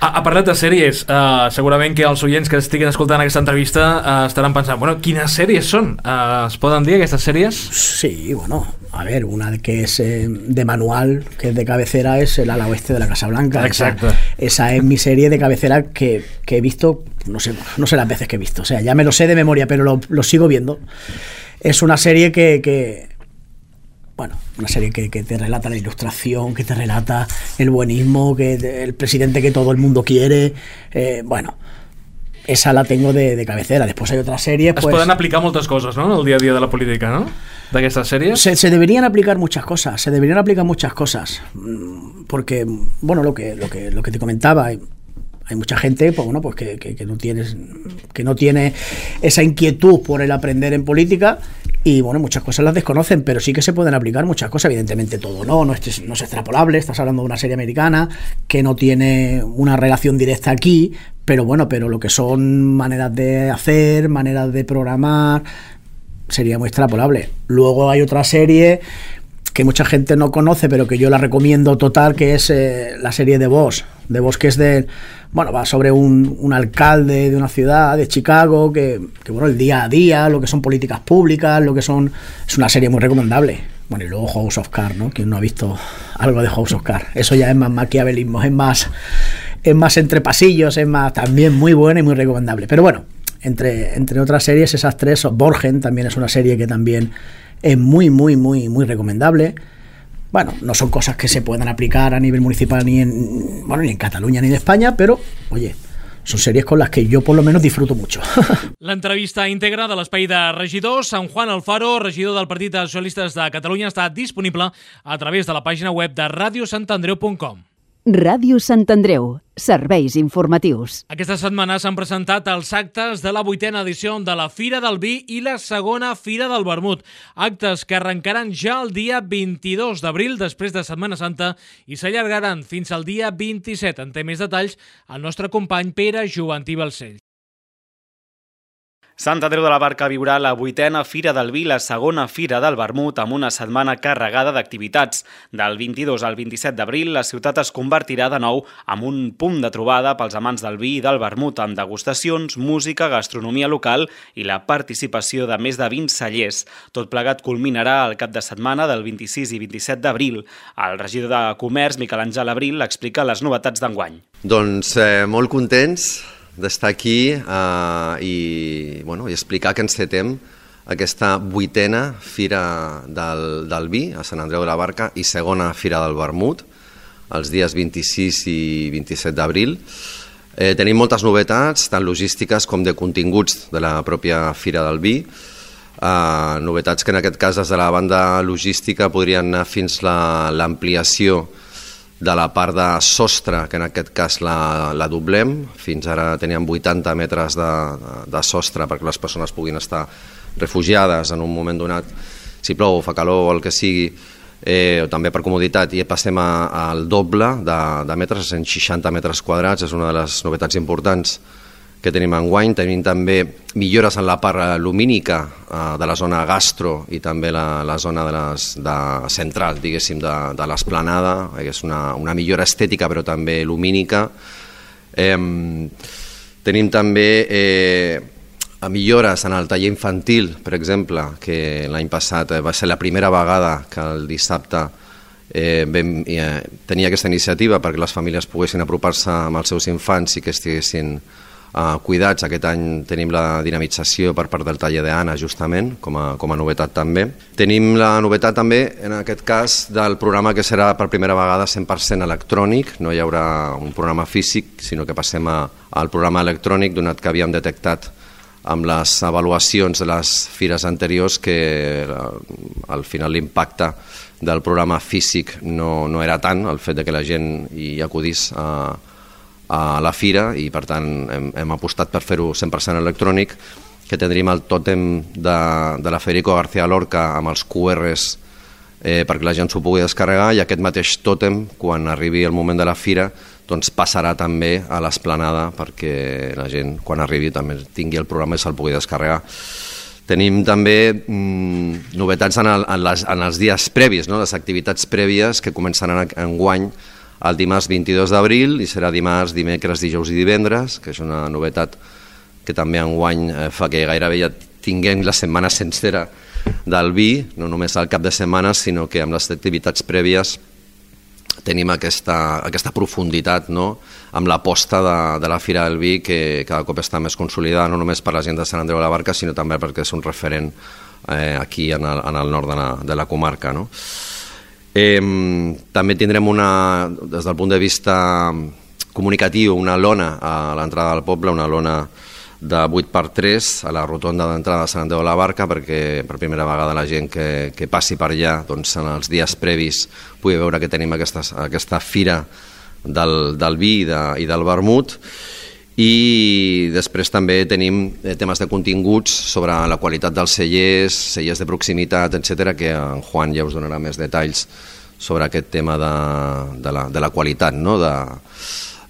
Ha, ha parlat de sèries, uh, segurament que els oients que estiguin escoltant aquesta entrevista uh, estaran pensant, bueno, quines sèries són? Uh, es poden dir aquestes sèries? Sí, bueno, a ver, una que es eh, de manual, que es de cabecera, es El ala oeste de la Casa Blanca. Exacto. Esa, esa es mi serie de cabecera que, que he visto, no sé, no sé las veces que he visto, o sea, ya me lo sé de memoria, pero lo, lo sigo viendo. Es una serie que... que Bueno, una serie que, que te relata la ilustración, que te relata el buenismo, que el presidente que todo el mundo quiere. Eh, bueno, esa la tengo de, de cabecera. Después hay otras series. Es pues, poden aplicar moltes coses, no?, en el dia a dia de la política, ¿no?, d'aquestes sèries. Se, se deberían aplicar muchas cosas, se deberían aplicar muchas cosas. Porque, bueno, lo que, lo que, lo que te comentaba, hay, hay mucha gente, pues bueno, pues que, que, que no tienes, que no tiene esa inquietud por el aprender en política. Y bueno, muchas cosas las desconocen, pero sí que se pueden aplicar muchas cosas, evidentemente todo no, no es, no es extrapolable, estás hablando de una serie americana que no tiene una relación directa aquí, pero bueno, pero lo que son maneras de hacer, maneras de programar, sería muy extrapolable. Luego hay otra serie que mucha gente no conoce, pero que yo la recomiendo total, que es eh, la serie de Boss, de Boss, que es de, bueno, va sobre un, un alcalde de una ciudad, de Chicago, que, que bueno, el día a día, lo que son políticas públicas, lo que son, es una serie muy recomendable. Bueno, y luego House of Cards, ¿no? Quien no ha visto algo de House of Cards, eso ya es más maquiavelismo, es más, es más entre pasillos, es más, también muy buena y muy recomendable. Pero bueno, entre, entre otras series, esas tres, Borgen también es una serie que también es muy, muy, muy, muy recomendable. Bueno, no son cosas que se puedan aplicar a nivel municipal ni en, bueno, ni en Cataluña ni en España, pero, oye, son series con las que yo por lo menos disfruto mucho. L'entrevista íntegra de l'espai de regidors, en Juan Alfaro, regidor del Partit dels Socialistes de Catalunya, està disponible a través de la pàgina web de ràdio sant andreu punt com. Ràdio Sant Andreu, serveis informatius. Aquesta setmana s'han presentat els actes de la vuitena edició de la Fira del Vi i la segona Fira del Vermut. Actes que arrencaran ja el dia vint-i-dos d'abril, després de Setmana Santa, i s'allargaran fins al dia vint-i-set. En té més detalls el nostre company Pere Joventí Balcells. Sant Andreu de la Barca viurà la vuitena Fira del Vi, la segona Fira del Vermut, amb una setmana carregada d'activitats. Del vint-i-dos al vint-i-set d'abril, la ciutat es convertirà de nou en un punt de trobada pels amants del vi i del vermut, amb degustacions, música, gastronomia local i la participació de més de vint cellers. Tot plegat culminarà el cap de setmana del vint-i-sis i vint-i-set d'abril. El regidor de Comerç, Miquel Àngel Abril, explica les novetats d'enguany. Doncs eh, molt contents d'estar aquí eh, i, bueno, i explicar que encetem aquesta vuitena Fira del, del Vi a Sant Andreu de la Barca i segona Fira del Vermut, els dies vint-i-sis i vint-i-set d'abril. Eh, tenim moltes novetats, tant logístiques com de continguts de la pròpia Fira del Vi. Eh, novetats que en aquest cas des de la banda logística podrien anar fins a l'ampliació de la part de sostre, que en aquest cas la, la doblem. Fins ara teníem vuitanta metres de, de sostre perquè les persones puguin estar refugiades en un moment donat, si plou o fa calor o el que sigui, eh, també per comoditat, i passem a, al doble de, de metres, cent seixanta metres quadrats. És una de les novetats importants que tenim enguany. Tenim també millores en la part lumínica eh, de la zona gastro i també la, la zona de les, de central, diguéssim, de, de l'esplanada, que és una, una millora estètica però també lumínica. Eh, tenim també eh, millores en el taller infantil, per exemple, que l'any passat va ser la primera vegada que el dissabte eh, vam eh, tenir aquesta iniciativa perquè les famílies poguessin apropar-se amb els seus infants i que estiguessin Uh, cuidats. Aquest any tenim la dinamització per part del taller d'Anna, justament, com a, com a novetat també. Tenim la novetat també, en aquest cas, del programa que serà per primera vegada cent per cent electrònic. No hi haurà un programa físic, sinó que passem a, al programa electrònic, donat que havíem detectat amb les avaluacions de les fires anteriors que al final l'impacte del programa físic no, no era tant, el fet de que la gent hi acudís a a la fira, i per tant hem, hem apostat per fer-ho cent per cent electrònic, que tindríem el tòtem de, de la Federico García Lorca amb els Q Rs eh, perquè la gent s'ho pugui descarregar, i aquest mateix tòtem, quan arribi el moment de la fira, doncs passarà també a l'esplanada perquè la gent, quan arribi, també tingui el programa i se'l pugui descarregar. Tenim també mm, novetats en, el, en, les, en els dies previs, no? Les activitats prèvies que començaran enguany el dimarts vint-i-dos d'abril, i serà dimarts, dimecres, dijous i divendres, que és una novetat que també enguany fa que gairebé ja tinguem la setmana sencera del vi, no només al cap de setmana, sinó que amb les activitats prèvies tenim aquesta, aquesta profunditat, no? Amb l'aposta de, de la Fira del Vi, que cada cop està més consolidada, no només per la gent de Sant Andreu de la Barca, sinó també perquè és un referent eh, aquí en el, en el nord de la, de la comarca, no? Eh, també tindrem una, des del punt de vista comunicatiu, una lona a l'entrada del poble, una lona de vuit per tres a la rotonda d'entrada de Sant Andreu de la Barca, perquè per primera vegada la gent que, que passi per allà, doncs, en els dies previs pugui veure que tenim aquesta, aquesta fira del, del vi i, de, i del vermut. I després també tenim temes de continguts sobre la qualitat dels cellers, cellers de proximitat, etcètera, que en Juan ja us donarà més detalls sobre aquest tema de, de, la, de la qualitat, no? de,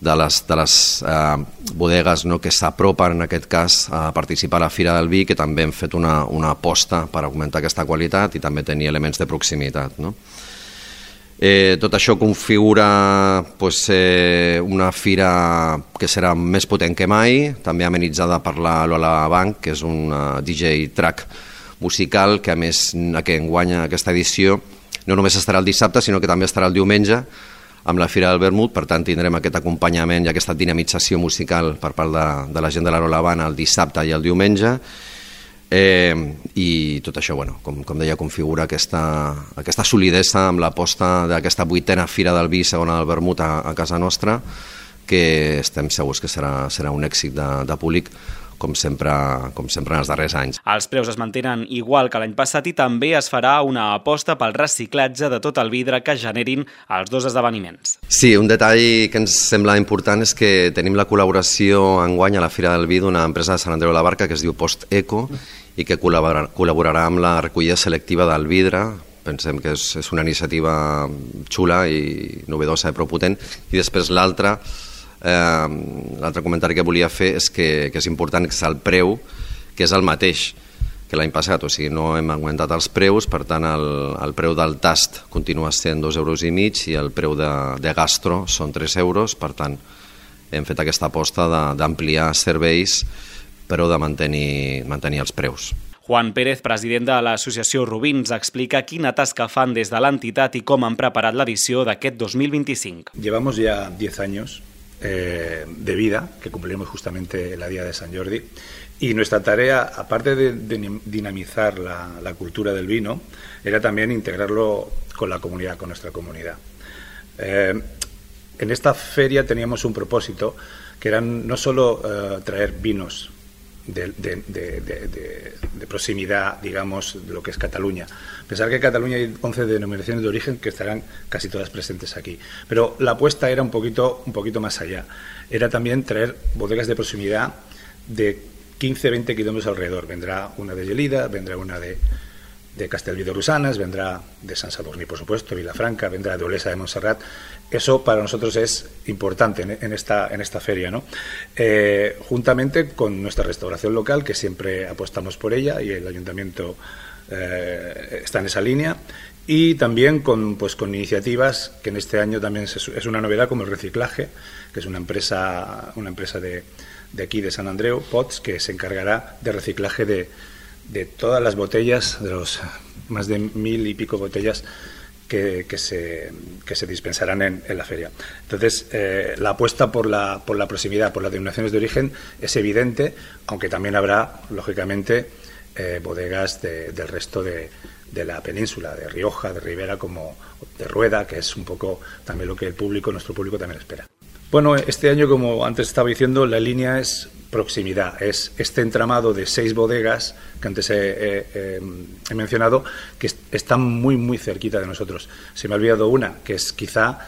de les, de les eh, bodegues, no? Que s'apropen en aquest cas a participar a la Fira del Vi, que també hem fet una, una aposta per augmentar aquesta qualitat i també tenir elements de proximitat, no? Eh, tot això configura pues, eh, una fira que serà més potent que mai, també amenitzada per la Lola Bank, que és un uh, D J track musical que a més que enguanya aquesta edició no només estarà el dissabte, sinó que també estarà el diumenge amb la Fira del Vermut. Per tant tindrem aquest acompanyament i aquesta dinamització musical per part de, de la gent de la Lola Bank el dissabte i el diumenge. Eh, i tot això, bueno, com, com deia, configura aquesta, aquesta solidesa amb l'aposta d'aquesta vuitena Fira del Vi, segona del Vermut a, a casa nostra, que estem segurs que serà, serà un èxit de, de públic, com sempre, com sempre en els darrers anys. Els preus es mantenen igual que l'any passat i també es farà una aposta pel reciclatge de tot el vidre que generin els dos esdeveniments. Sí, un detall que ens sembla important és que tenim la col·laboració enguany a la Fira del Vi d'una empresa de Sant Andreu de la Barca que es diu Post Eco i que col·laborarà, col·laborarà amb la recollida selectiva del vidre. Pensem que és, és una iniciativa xula i novedosa i prou potent. I després l'altra, eh, l'altre comentari que volia fer és que, que és important que és el preu, que és el mateix que l'any passat, o sigui, no hem augmentat els preus, per tant el, el preu del tast continua sent dos euros i mig i el preu de, de gastro són tres euros, per tant hem fet aquesta aposta d'ampliar serveis però de mantenir, mantenir els preus. Juan Pérez, president de l'associació Rubins, explica quina tasca fan des de l'entitat i com han preparat l'edició d'aquest dos mil vint-i-cinc. Llevamos ya diez años eh, de vida, que cumpliremos justamente la Día de San Jordi, y nuestra tarea, aparte de, de dinamizar la, la cultura del vino, era también integrarlo con la comunidad, con nuestra comunidad. Eh, en esta feria teníamos un propósito, que era no solo eh, traer vinos de, de, de, de, de, de proximidad, digamos, de lo que es Cataluña. Pensar que en Cataluña hay once denominaciones de origen que estarán casi todas presentes aquí. Pero la apuesta era un poquito, un poquito más allá. Era también traer bodegas de proximidad de quince a veinte kilómetros alrededor. Vendrá una de Gelida, vendrá una de, de Castellví de Rosanes, vendrá de Sant Sadurní, por supuesto, Vilafranca, vendrá de Olesa de Montserrat. Eso para nosotros es importante en, en, esta, en esta feria, ¿no? Eh, juntamente con nuestra restauración local, que siempre apostamos por ella, y el ayuntamiento eh, está en esa línea, y también con, pues, con iniciativas que en este año también es, es una novedad, como el reciclaje, que es una empresa, una empresa de, de aquí, de Sant Andreu, Pots, que se encargará de reciclaje de, de todas las botellas, de los más de mil y pico botellas que, que, se, que se dispensarán en, en la feria. Entonces, eh, la apuesta por la, por la proximidad, por las denominaciones de origen es evidente, aunque también habrá, lógicamente, eh, bodegas de, del resto de, de la península, de Rioja, de Ribera, como de Rueda, que es un poco también lo que el público, nuestro público también espera. Bueno, este año, como antes estaba diciendo, la línea es proximidad, es este entramado de seis bodegas que antes he, he, he, he mencionado, que están muy, muy cerquita de nosotros. Se me ha olvidado una, que es quizá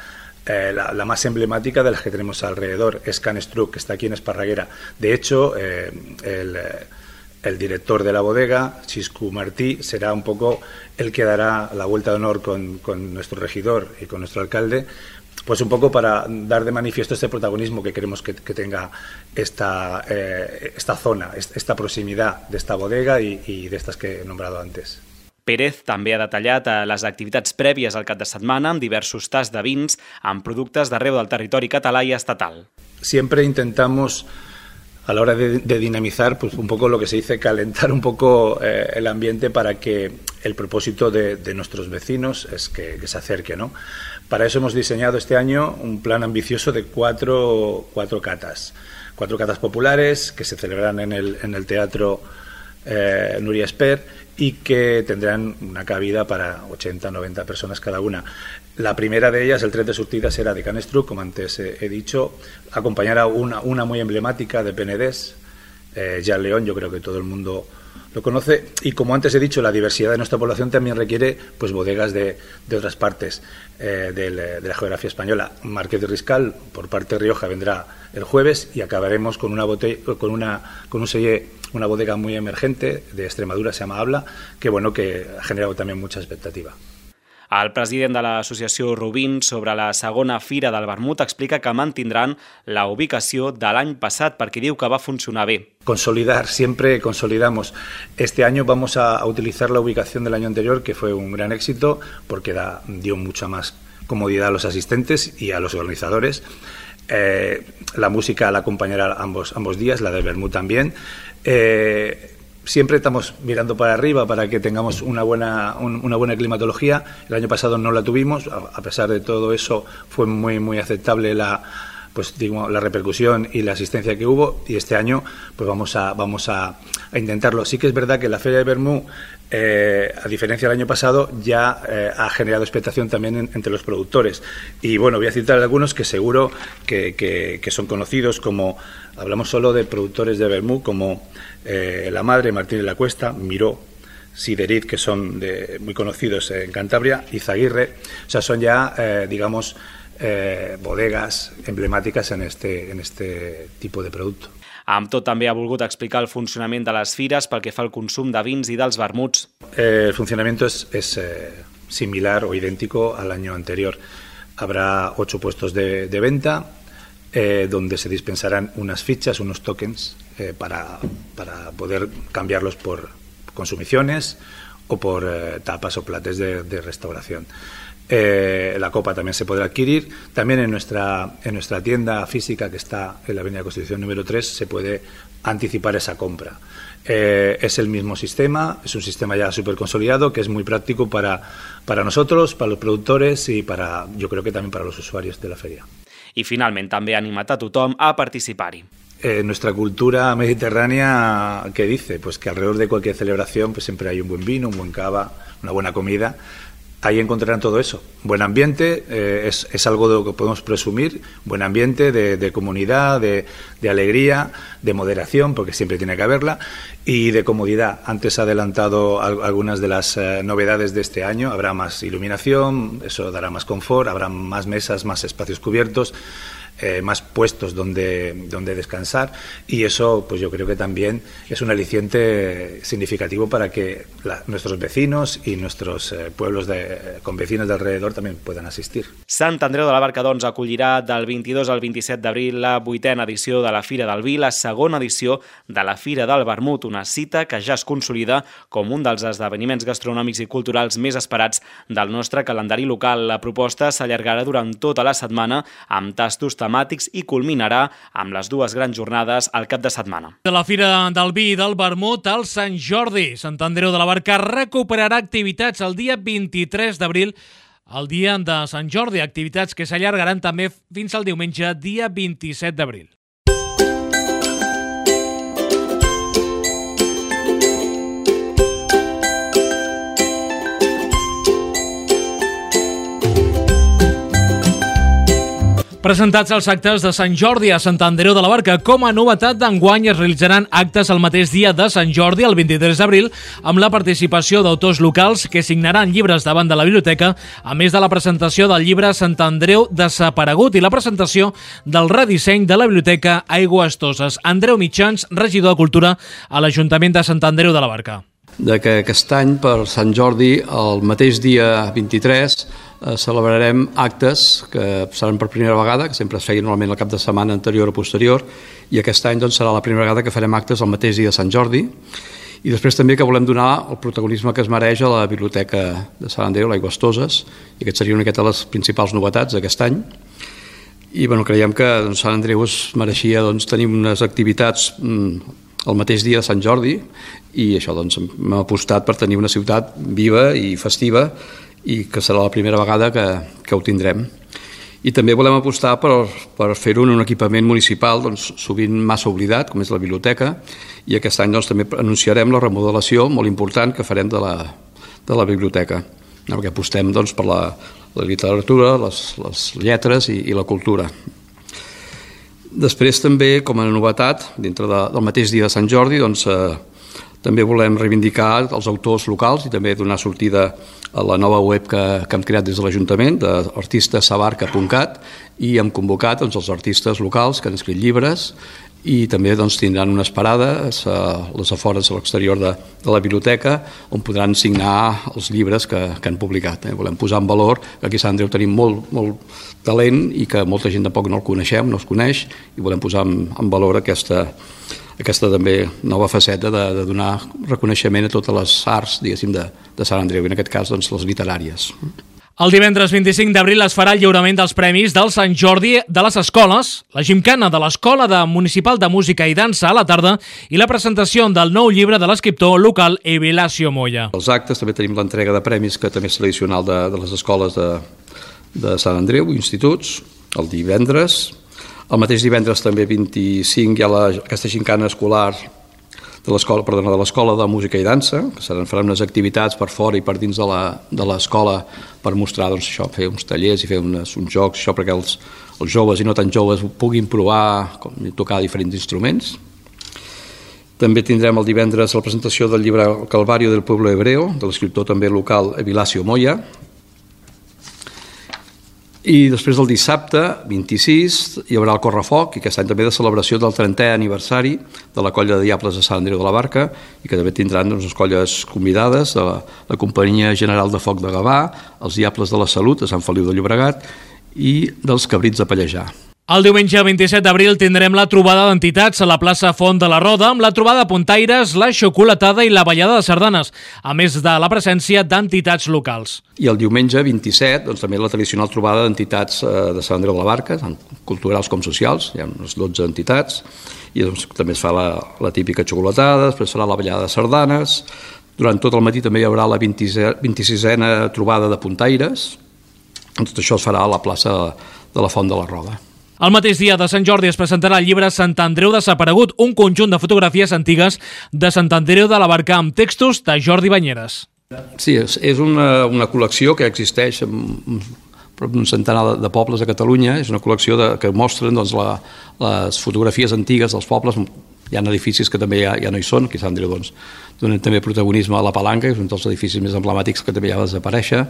eh, la, la más emblemática de las que tenemos alrededor, es Can Estruc, que está aquí en Esparraguera. De hecho, eh, el, el director de la bodega, Xisco Martí, será un poco el que dará la vuelta de honor con, con nuestro regidor y con nuestro alcalde, pues un poco para dar de manifiesto este protagonismo que queremos que, que tenga esta, eh, esta zona, esta proximitat d'esta bodega i, i d'estes que he nombrado antes. Pérez també ha detallat les activitats prèvies al cap de setmana amb diversos tasts de vins amb productes d'arreu del territori català i estatal. Siempre intentamos, a la hora de, de dinamizar, pues un poco lo que se dice, calentar un poco eh, el ambiente para que el propósito de, de nuestros vecinos es que, que se acerque, ¿no? Para eso hemos diseñado este año un plan ambicioso de cuatro, cuatro catas. Cuatro catas populares que se celebrarán en el, en el Teatro eh, Núria Esper y que tendrán una cabida para ochenta a noventa personas cada una. La primera de ellas, el tret de sortida, será de Can Estruc, como antes he, he dicho, acompañará una, una muy emblemática de Penedès, eh, Jan León, yo creo que todo el mundo lo conoce, y como antes he dicho, la diversidad de nuestra población también requiere pues bodegas de, de otras partes eh, de, de la geografía española. Marqués de Riscal, por parte de Rioja, vendrá el jueves y acabaremos con una botella, con una con un selle, una bodega muy emergente de Extremadura, se llama Habla, que bueno, que ha generado también mucha expectativa. El president de l'associació Rubin sobre la segona Fira del Vermut explica que mantindran la ubicació de l'any passat perquè diu que va funcionar bé. Consolidar, siempre consolidamos. Este año vamos a utilizar la ubicación del año anterior, que fue un gran éxito porque da, dio mucha más comodidad a los asistentes y a los organizadores. Eh, la música la acompañará ambos, ambos días, la del Vermut también. Eh, Siempre estamos mirando para arriba para que tengamos una buena, un, una buena climatología. El año pasado no la tuvimos, a, a pesar de todo eso fue muy muy aceptable la, pues, digo, la repercusión y la asistencia que hubo, y este año pues vamos a, vamos a, a intentarlo. Sí que es verdad que la Feria de Vermut, eh, a diferencia del año pasado, ya eh, ha generado expectación también en, entre los productores. Y bueno, voy a citar algunos que seguro que, que, que son conocidos, como hablamos solo de productores de Vermut, como eh, La Madre, Martínez La Cuesta, Miró, Siderit, que son de, muy conocidos en Cantabria, y Zaguirre. O sea, son ya, eh, digamos, eh, bodegas emblemáticas en este, en este tipo de producto. Amb tot, també ha volgut explicar el funcionament de les fires pel que fa al consum de vins i dels vermuts. Eh, el funcionamiento es, es eh, similar o idéntico al año anterior. Habrá ocho puestos de, de venta, eh, donde se dispensarán unas fichas, unos tokens, eh, para, para poder cambiarlos por consumiciones o por eh, tapas o plates de, de restauración. Eh, la copa también se podrá adquirir. También en nuestra, en nuestra tienda física, que está en la Avenida Constitución número tres, se puede anticipar esa compra. Eh, es el mismo sistema, es un sistema ya súper consolidado, que es muy práctico para, para nosotros, para los productores y para, yo creo que también para los usuarios de la feria. I finalment també ha animat a tothom a participar-hi. Eh, nuestra cultura mediterránea, ¿qué dice? Pues que alrededor de cualquier celebración pues siempre hay un buen vino, un buen cava, una buena comida. ahí encontrarán todo eso. Buen ambiente, eh, es, es algo de lo que podemos presumir, buen ambiente de, de comunidad, de, de alegría, de moderación, porque siempre tiene que haberla, y de comodidad. Antes ha adelantado al, algunas de las eh, novedades de este año. Habrá más iluminación, eso dará más confort, habrá más mesas, más espacios cubiertos, Eh, más puestos donde, donde descansar, y eso pues yo creo que también es un aliciente significativo para que la, nuestros vecinos y nuestros eh, pueblos de, con vecinos de alrededor también puedan asistir. Sant Andreu de la Barca, doncs, acollirà del vint-i-dos al vint-i-set d'abril la vuitena edició de la Fira del Vi, la segona edició de la Fira del Vermut, una cita que ja es consolida com un dels esdeveniments gastronòmics i culturals més esperats del nostre calendari local. La proposta s'allargarà durant tota la setmana amb tastos temàtics i culminarà amb les dues grans jornades al cap de setmana. De la Fira del Vi i del Vermut al Sant Jordi, Sant Andreu de la Barca recuperarà activitats el dia vint-i-tres d'abril, el dia de Sant Jordi, activitats que s'allargaran també fins al diumenge, dia vint-i-set d'abril. Presentats els actes de Sant Jordi a Sant Andreu de la Barca. Com a novetat d'enguany es realitzaran actes el mateix dia de Sant Jordi, el vint-i-tres d'abril, amb la participació d'autors locals que signaran llibres davant de la biblioteca, a més de la presentació del llibre Sant Andreu desaparegut i la presentació del redisseny de la biblioteca Aigües Toses. Andreu Mitjans, regidor de Cultura a l'Ajuntament de Sant Andreu de la Barca. De que aquest any, per Sant Jordi, el mateix dia vint-i-tres, eh, celebrarem actes que seran per primera vegada, que sempre es feien normalment el cap de setmana anterior o posterior, i aquest any doncs, serà la primera vegada que farem actes el mateix dia de Sant Jordi, i després també que volem donar el protagonisme que es mereix a la Biblioteca de Sant Andreu, l'Aigües Toses, i aquest seria una miqueta les principals novetats d'aquest any. I bueno, creiem que doncs, Sant Andreu es mereixia doncs, tenir unes activitats mm, el mateix dia de Sant Jordi, i això doncs hem apostat per tenir una ciutat viva i festiva, i que serà la primera vegada que, que ho tindrem. I també volem apostar per, per fer-ho en un equipament municipal doncs, sovint massa oblidat, com és la biblioteca, i aquest any doncs, també anunciarem la remodelació molt important que farem de la, de la biblioteca, perquè apostem doncs, per la, la literatura, les, les lletres i, i la cultura. Després també, com a novetat, dintre de, del mateix dia de Sant Jordi, doncs, eh, també volem reivindicar els autors locals i també donar sortida a la nova web que, que hem creat des de l'Ajuntament, d'artistasabarca punt cat, i hem convocat doncs, els artistes locals que han escrit llibres, i també doncs, tindran unes parades a les afores a l'exterior de, de la biblioteca on podran signar els llibres que, que han publicat. Eh? Volem posar en valor que aquí a Sant Andreu tenim molt, molt talent i que molta gent tampoc no el coneixem, no es coneix, i volem posar en, en valor aquesta, aquesta també nova faceta de, de donar reconeixement a totes les arts, diguéssim, de, de Sant Andreu, i en aquest cas doncs, les literàries. El divendres vint-i-cinc d'abril es farà el lliurament dels premis del Sant Jordi de les escoles, la gimcana de l'Escola de Municipal de Música i Dansa a la tarda i la presentació del nou llibre de l'escriptor local Evilàcio Moya. Els actes també tenim l'entrega de premis que també és tradicional de, de les escoles de, de Sant Andreu, instituts, el divendres. El mateix divendres també vint-i-cinc hi ha la, aquesta gimcana escolar de l'escola, perdona, de l'Escola de Música i Dansa, que seran, faran unes activitats per fora i per dins de l'escola per mostrar, doncs, això, fer uns tallers i fer unes, uns jocs, això perquè els, els joves i no tan joves puguin provar com, tocar diferents instruments. També tindrem el divendres la presentació del llibre El Calvario del Pueblo Hebreo, de l'escriptor també local Evilàcio Moya. I després del dissabte, vint-i-sis, hi haurà el Correfoc, i aquest any també de celebració del trentè aniversari de la Colla de Diables de Sant Andreu de la Barca, i que també tindran doncs, les colles convidades de la, la Companyia General de Foc de Gavà, els Diables de la Salut de Sant Feliu de Llobregat i dels Cabrits de Pallejà. El diumenge vint-i-set d'abril tindrem la trobada d'entitats a la plaça Font de la Roda amb la trobada de puntaires, la xocolatada i la ballada de sardanes, a més de la presència d'entitats locals. I el diumenge vint-i-set, doncs, també la tradicional trobada d'entitats de Sant Andreu de la Barca, tant culturals com socials, hi ha unes dotze entitats, i doncs, també es fa la, la típica xocolatada, després farà la ballada de sardanes, durant tot el matí també hi haurà la vint-i-sisena trobada de puntaires, tot això es farà a la plaça de la Font de la Roda. El mateix dia de Sant Jordi es presentarà el llibre Sant Andreu desaparegut, un conjunt de fotografies antigues de Sant Andreu de la Barca amb textos de Jordi Banyeres. Sí, és, és una, una col·lecció que existeix en prop d'un centenar de pobles a Catalunya. És una col·lecció de, que mostren doncs, la, les fotografies antigues dels pobles. Hi ha edificis que també ja, ja no hi són, que Sant Andreu doncs, donen també protagonisme a la Palanca, que és un dels edificis més emblemàtics que també ja va desaparèixer,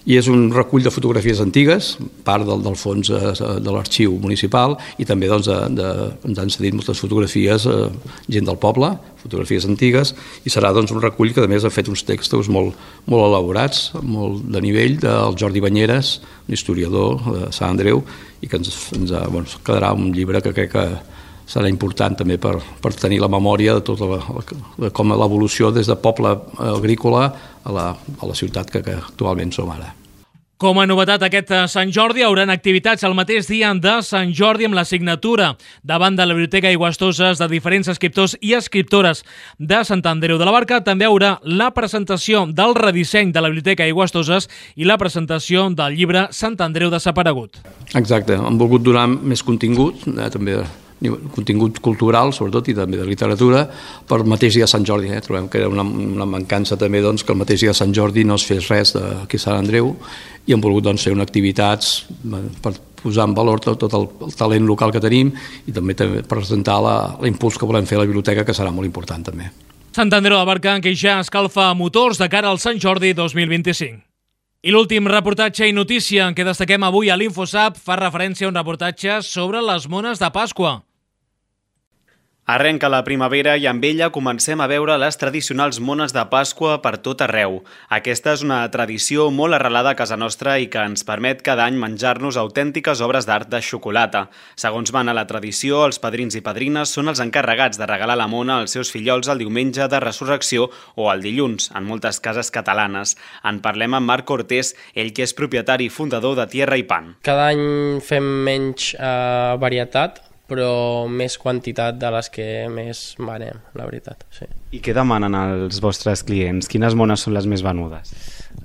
i és un recull de fotografies antigues, part del, del fons de, de l'arxiu municipal, i també doncs, de, de, ens han cedit moltes fotografies, eh, gent del poble, fotografies antigues, i serà doncs, un recull que a més ha fet uns textos molt, molt elaborats, molt de nivell, del Jordi Banyeres, un historiador de Sant Andreu, i que ens, ens ha, bueno, quedarà un llibre que crec que serà important també per, per tenir la memòria de tota la, de com l'evolució des de poble agrícola a la, a la ciutat que, que actualment som ara. Com a novetat aquest Sant Jordi, hauran activitats el mateix dia de Sant Jordi amb la signatura davant de la Biblioteca Aigüestoses de diferents escriptors i escriptores de Sant Andreu de la Barca. També haurà la presentació del redisseny de la Biblioteca Aigüestoses i la presentació del llibre Sant Andreu desaparegut. Exacte, hem volgut donar més contingut, eh, també contingut cultural, sobretot, i també de literatura, per el mateix dia de Sant Jordi. Eh? Trobem que era una, una mancança també doncs, que el mateix dia de Sant Jordi no es fes res d'aquí a Sant Andreu, i hem volgut doncs, fer una activitats per posar en valor tot, tot el, el talent local que tenim i també, també presentar l'impuls que volem fer a la biblioteca, que serà molt important també. Sant Andreu de la Barca, que ja escalfa motors de cara al Sant Jordi dos mil vint-i-cinc. I l'últim reportatge i notícia que destaquem avui a l'InfoSap fa referència a un reportatge sobre les mones de Pasqua. Arrenca la primavera i amb ella comencem a veure les tradicionals mones de Pasqua per tot arreu. Aquesta és una tradició molt arrelada a casa nostra i que ens permet cada any menjar-nos autèntiques obres d'art de xocolata. Segons mana la tradició, els padrins i padrines són els encarregats de regalar la mona als seus fillols el diumenge de Resurrecció o el dilluns, en moltes cases catalanes. En parlem amb Marc Cortés, ell que és propietari i fundador de Tierra i Pan. Cada any fem menys eh, varietat, però més quantitat de les que més venem, la veritat. Sí. I què demanen els vostres clients? Quines mones són les més venudes?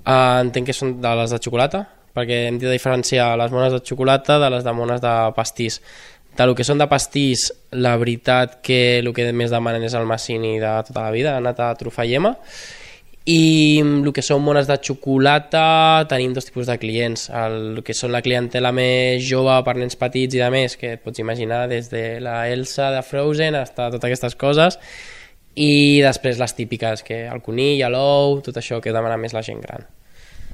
Uh, entenc que són de les de xocolata, perquè hem de diferenciar les mones de xocolata de les de mones de pastís. De lo que són de pastís, la veritat que el que més demanen és el Massini de tota la vida, nata, trufa i ema. I el que són mones de xocolata tenim dos tipus de clients. El que són la clientela més jove per nens petits i de més, que et pots imaginar des de la Elsa de Frozen fins a totes aquestes coses, i després les típiques, que el conill, l'ou, tot això que demana més la gent gran.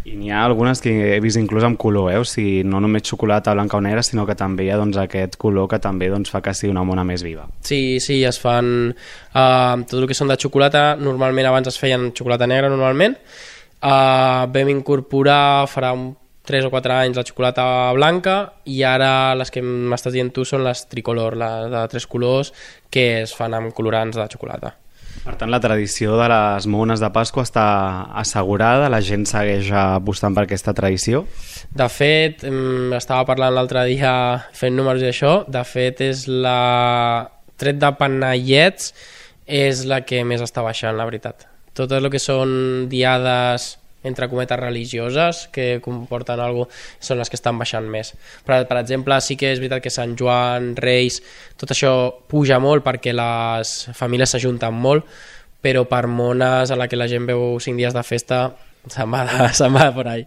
I n'hi ha algunes que he vist inclús amb color, eh? O sigui, no només xocolata blanca o negra, sinó que també hi ha doncs, aquest color que també doncs, fa que sigui una mona més viva. Sí, sí, es fan uh, tot el que són de xocolata. Normalment abans es feien xocolata negra normalment. Uh, vam incorporar farà un tres o quatre anys la xocolata blanca, i ara les que m'estàs dient tu són les tricolor, les de tres colors, que es fan amb colorants de xocolata. Per tant, la tradició de les mones de Pasqua està assegurada? La gent segueix apostant per aquesta tradició? De fet, estava parlant l'altre dia fent números i això, de fet és la... tret de panellets és la que més està baixant, la veritat. Tot el que són diades entre cometes religioses que comporten alguna cosa són les que estan baixant més. Però, per exemple, sí que és veritat que Sant Joan, Reis, tot això puja molt perquè les famílies s'ajunten molt, però per mones a la que la gent veu cinc dies de festa se'n va de, se'n va de por ahí.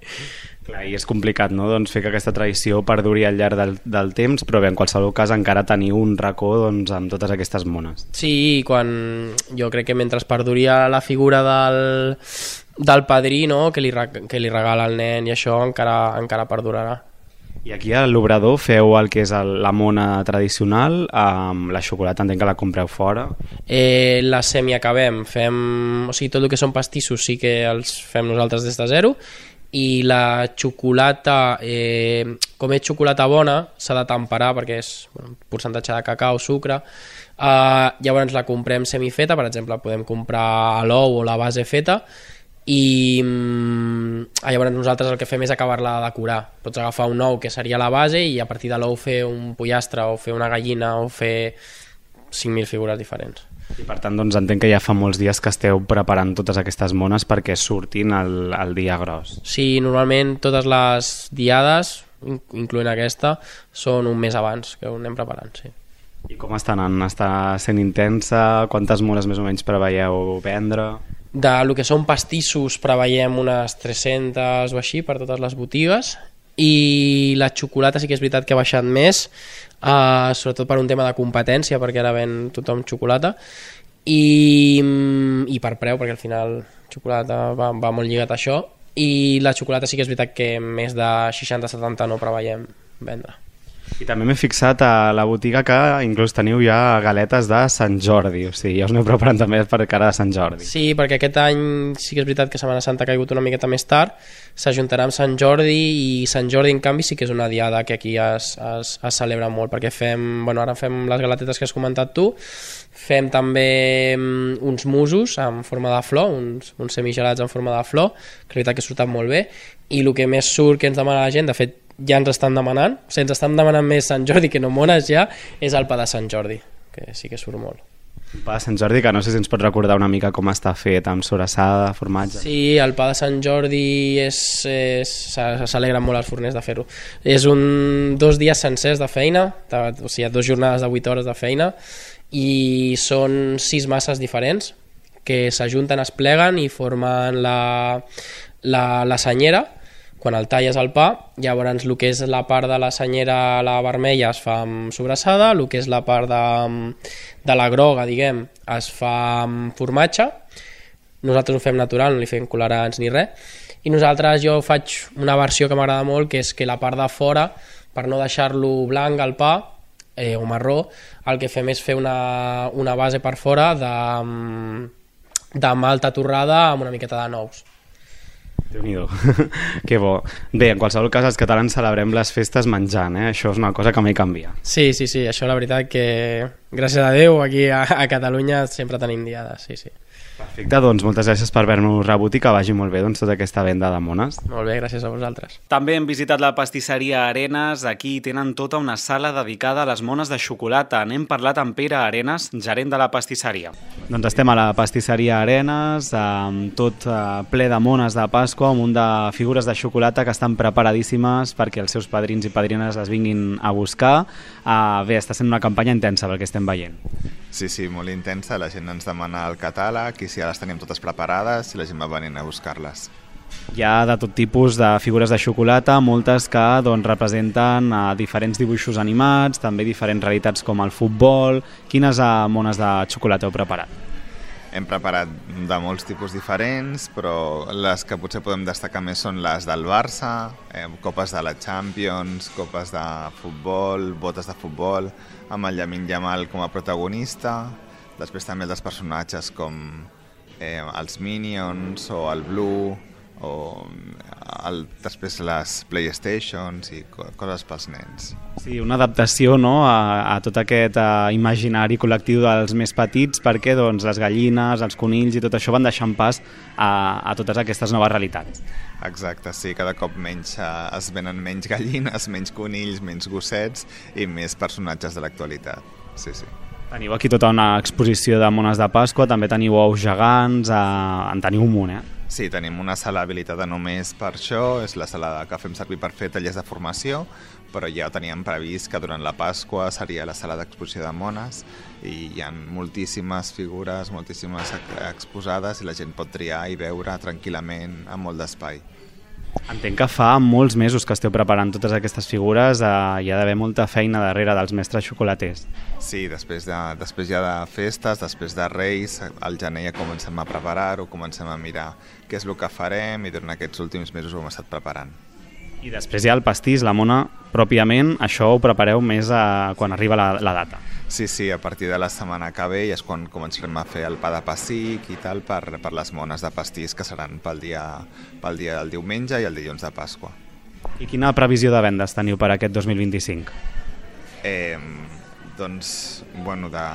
Clar, i és complicat, no?, doncs, fer que aquesta tradició perduri al llarg del, del temps, però bé, en qualsevol cas encara teniu un racó doncs, amb totes aquestes mones. Sí, quan jo crec que mentre perduri la figura del, del padrí, no?, que, li, que li regala al nen i això encara, encara perdurarà. I aquí a l'Obrador feu el que és el, la mona tradicional, amb la xocolata entenc que la compreu fora. Eh, la semiacabem, fem, o sigui, tot el que són pastissos sí que els fem nosaltres des de zero, i la xocolata, eh, com és xocolata bona, s'ha de temperar perquè és bueno, un percentatge de cacau, sucre, eh, llavors la comprem semifeta, per exemple, podem comprar l'ou o la base feta, i mm, llavors nosaltres el que fem és acabar-la de decorar. Pots agafar un ou que seria la base i a partir de l'ou fer un pollastre o fer una gallina o fer cinc mil figures diferents. I per tant doncs, entenc que ja fa molts dies que esteu preparant totes aquestes mones perquè surtin el, el dia gros. Sí, normalment totes les diades, incloent aquesta, són un mes abans que ho anem preparant, sí. I com està anant? Està sent intensa? Quantes mones més o menys preveieu vendre? De lo que són pastissos preveiem unes tres-centes o així per totes les botigues, i la xocolata sí que és veritat que ha baixat més, uh, sobretot per un tema de competència, perquè ara ven tothom xocolata, i, i per preu, perquè al final xocolata va, va molt lligat a això, i la xocolata sí que és veritat que més de seixanta setanta no preveiem vendre. I també m'he fixat a la botiga que inclús teniu ja galetes de Sant Jordi, o sigui, ja us aneu preparant també per cara de Sant Jordi. Sí, perquè aquest any sí que és veritat que Setmana Santa ha caigut una miqueta més tard, s'ajuntarà amb Sant Jordi, i Sant Jordi en canvi sí que és una diada que aquí es, es, es celebra molt, perquè fem, bueno, ara fem les galetetes que has comentat tu, fem també uns musos en forma de flor, uns, uns semigelats en forma de flor, que és veritat que surten molt bé, i el que més surt que ens demana la gent, de fet ja ens estan demanant, o sigui, ens estan demanant més Sant Jordi que no mones ja, és el pa de Sant Jordi, que sí que surt molt. Un pa de Sant Jordi que no sé si ens pots recordar una mica com està fet, amb sobrassada, formatge... Sí, el pa de Sant Jordi és, és, s'alegren molt els forners de fer-ho. És un, dos dies sencers de feina, de, o sigui, dos jornades de vuit hores de feina, i són sis masses diferents que s'ajunten, es pleguen i formen la, la, la senyera. Quan el talles el pa, llavors el que és la part de la senyera, la vermella, es fa amb sobrassada, el que és la part de, de la groga, diguem, es fa amb formatge. Nosaltres ho fem natural, no li fem colorants ni res. I nosaltres, jo faig una versió que m'agrada molt, que és que la part de fora, per no deixar-lo blanc al pa, eh, o marró, el que fem és fer una, una base per fora de, de malta torrada amb una miqueta de nous. Déu-n'hi-do, que bo. Bé, en qualsevol cas, els catalans celebrem les festes menjant, eh? Això és una cosa que mai canvia. Sí, sí, sí, això la veritat que, gràcies a Déu, aquí a, a Catalunya sempre tenim diades, sí, sí. Perfecte, doncs moltes gràcies per haver-nos rebut i que vagi molt bé doncs, tota aquesta venda de mones. Molt bé, gràcies a vosaltres. També hem visitat la pastisseria Arenas. Aquí tenen tota una sala dedicada a les mones de xocolata. N'hem parlat amb Pere Arenas, gerent de la pastisseria. Doncs estem a la pastisseria Arenas, amb tot ple de mones de Pasqua, un munt de figures de xocolata que estan preparadíssimes perquè els seus padrins i padrines les vinguin a buscar. Uh, bé, està sent una campanya intensa pel que estem veient. Sí, sí, molt intensa. La gent ens demana el catàleg i si ja les tenim totes preparades i la gent va venint a buscar-les. Hi ha de tot tipus de figures de xocolata, moltes que doncs, representen uh, diferents dibuixos animats, també diferents realitats com el futbol. Quines uh, mones de xocolata heu preparat? Hem preparat de molts tipus diferents, però les que potser podem destacar més són les del Barça, eh, copes de la Champions, copes de futbol, botes de futbol, amb el Lamine Yamal com a protagonista, després també els personatges com eh, els Minions o el Blue, o el, després les Playstations i coses pels nens. Sí, una adaptació, no?, a, a tot aquest a, imaginari col·lectiu dels més petits, perquè doncs, les gallines, els conills i tot això van deixant pas a, a totes aquestes noves realitats. Exacte, sí, cada cop menys, eh, es venen menys gallines, menys conills, menys gossets i més personatges de l'actualitat. Sí, sí. Teniu aquí tota una exposició de mones de Pasqua, també teniu ous gegants, eh, en teniu un munt, eh? Sí, tenim una sala habilitada només per això, és la sala que fem servir per fer tallers de formació, però ja teníem previst que durant la Pasqua seria la sala d'exposició de mones i hi ha moltíssimes figures, moltíssimes exposades i la gent pot triar i veure tranquil·lament amb molt d'espai. Entenc que fa molts mesos que esteu preparant totes aquestes figures, eh, hi ha d'haver molta feina darrere dels mestres xocolaters. Sí, després, de, després ja de festes, després de Reis, al gener ja comencem a preparar-ho, comencem a mirar què és el que farem i durant aquests últims mesos ho hem estat preparant. I després hi ha el pastís, la mona, pròpiament, això ho prepareu més a, quan arriba la, la data. Sí, sí, a partir de la setmana que ve és quan començarem a fer el pa de pessic i tal per, per les mones de pastís que seran pel dia, pel dia del diumenge i el dilluns de Pasqua. I quina previsió de vendes teniu per aquest dos mil vint-i-cinc? Eh, doncs, bueno, de,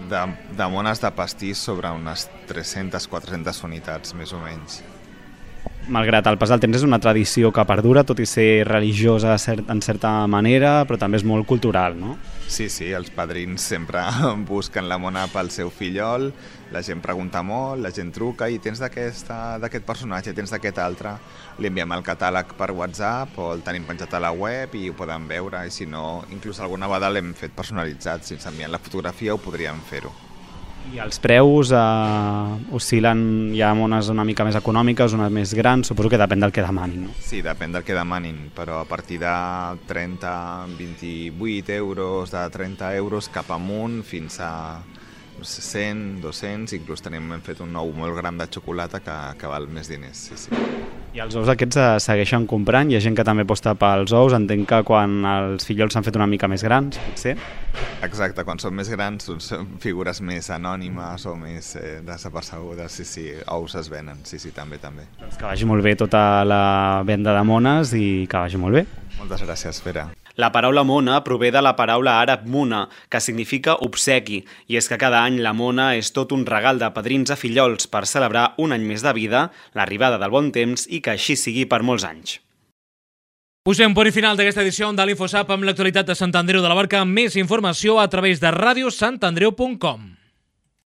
de, de mones de pastís sobre unes tres-centes a quatre-centes unitats, més o menys. Malgrat el pas del temps és una tradició que perdura, tot i ser religiosa en certa manera, però també és molt cultural, no? Sí, sí, els padrins sempre busquen la mona pel seu fillol, la gent pregunta molt, la gent truca i tens d'aquest personatge, tens d'aquest altre, li enviem el catàleg per WhatsApp o el tenim penjat a la web i ho poden veure, i si no, inclús alguna vegada l'hem fet personalitzat, si ens envien la fotografia ho podríem fer-ho. I els preus eh, oscil·len, hi ha mones una mica més econòmiques, unes més grans, suposo que depèn del que demanin, no? Sí, depèn del que demanin, però a partir de trenta, vint-i-vuit euros, de trenta euros cap amunt fins a cent, dos-cents, inclús tenim, hem fet un ou molt gran de xocolata que, que val més diners, sí, sí. I els ous aquests eh, segueixen comprant? Hi ha gent que també aposta pels ous, entenc que quan els fillols s'han fet una mica més grans, potser? Exacte, quan són més grans són figures més anònimes o més eh, desapercebudes, sí, sí, ous es venen, sí, sí, també, també. Doncs que vagi molt bé tota la venda de mones i que vagi molt bé. Moltes gràcies, Pere. La paraula mona prové de la paraula àrab muna, que significa obsequi, i és que cada any la mona és tot un regal de padrins a fillols per celebrar un any més de vida, l'arribada del bon temps i que així sigui per molts anys. Posem punt i final d'aquesta edició de l'InfoSap amb l'actualitat de Sant Andreu de la Barca. Més informació a través de ràdio sant andreu punt com.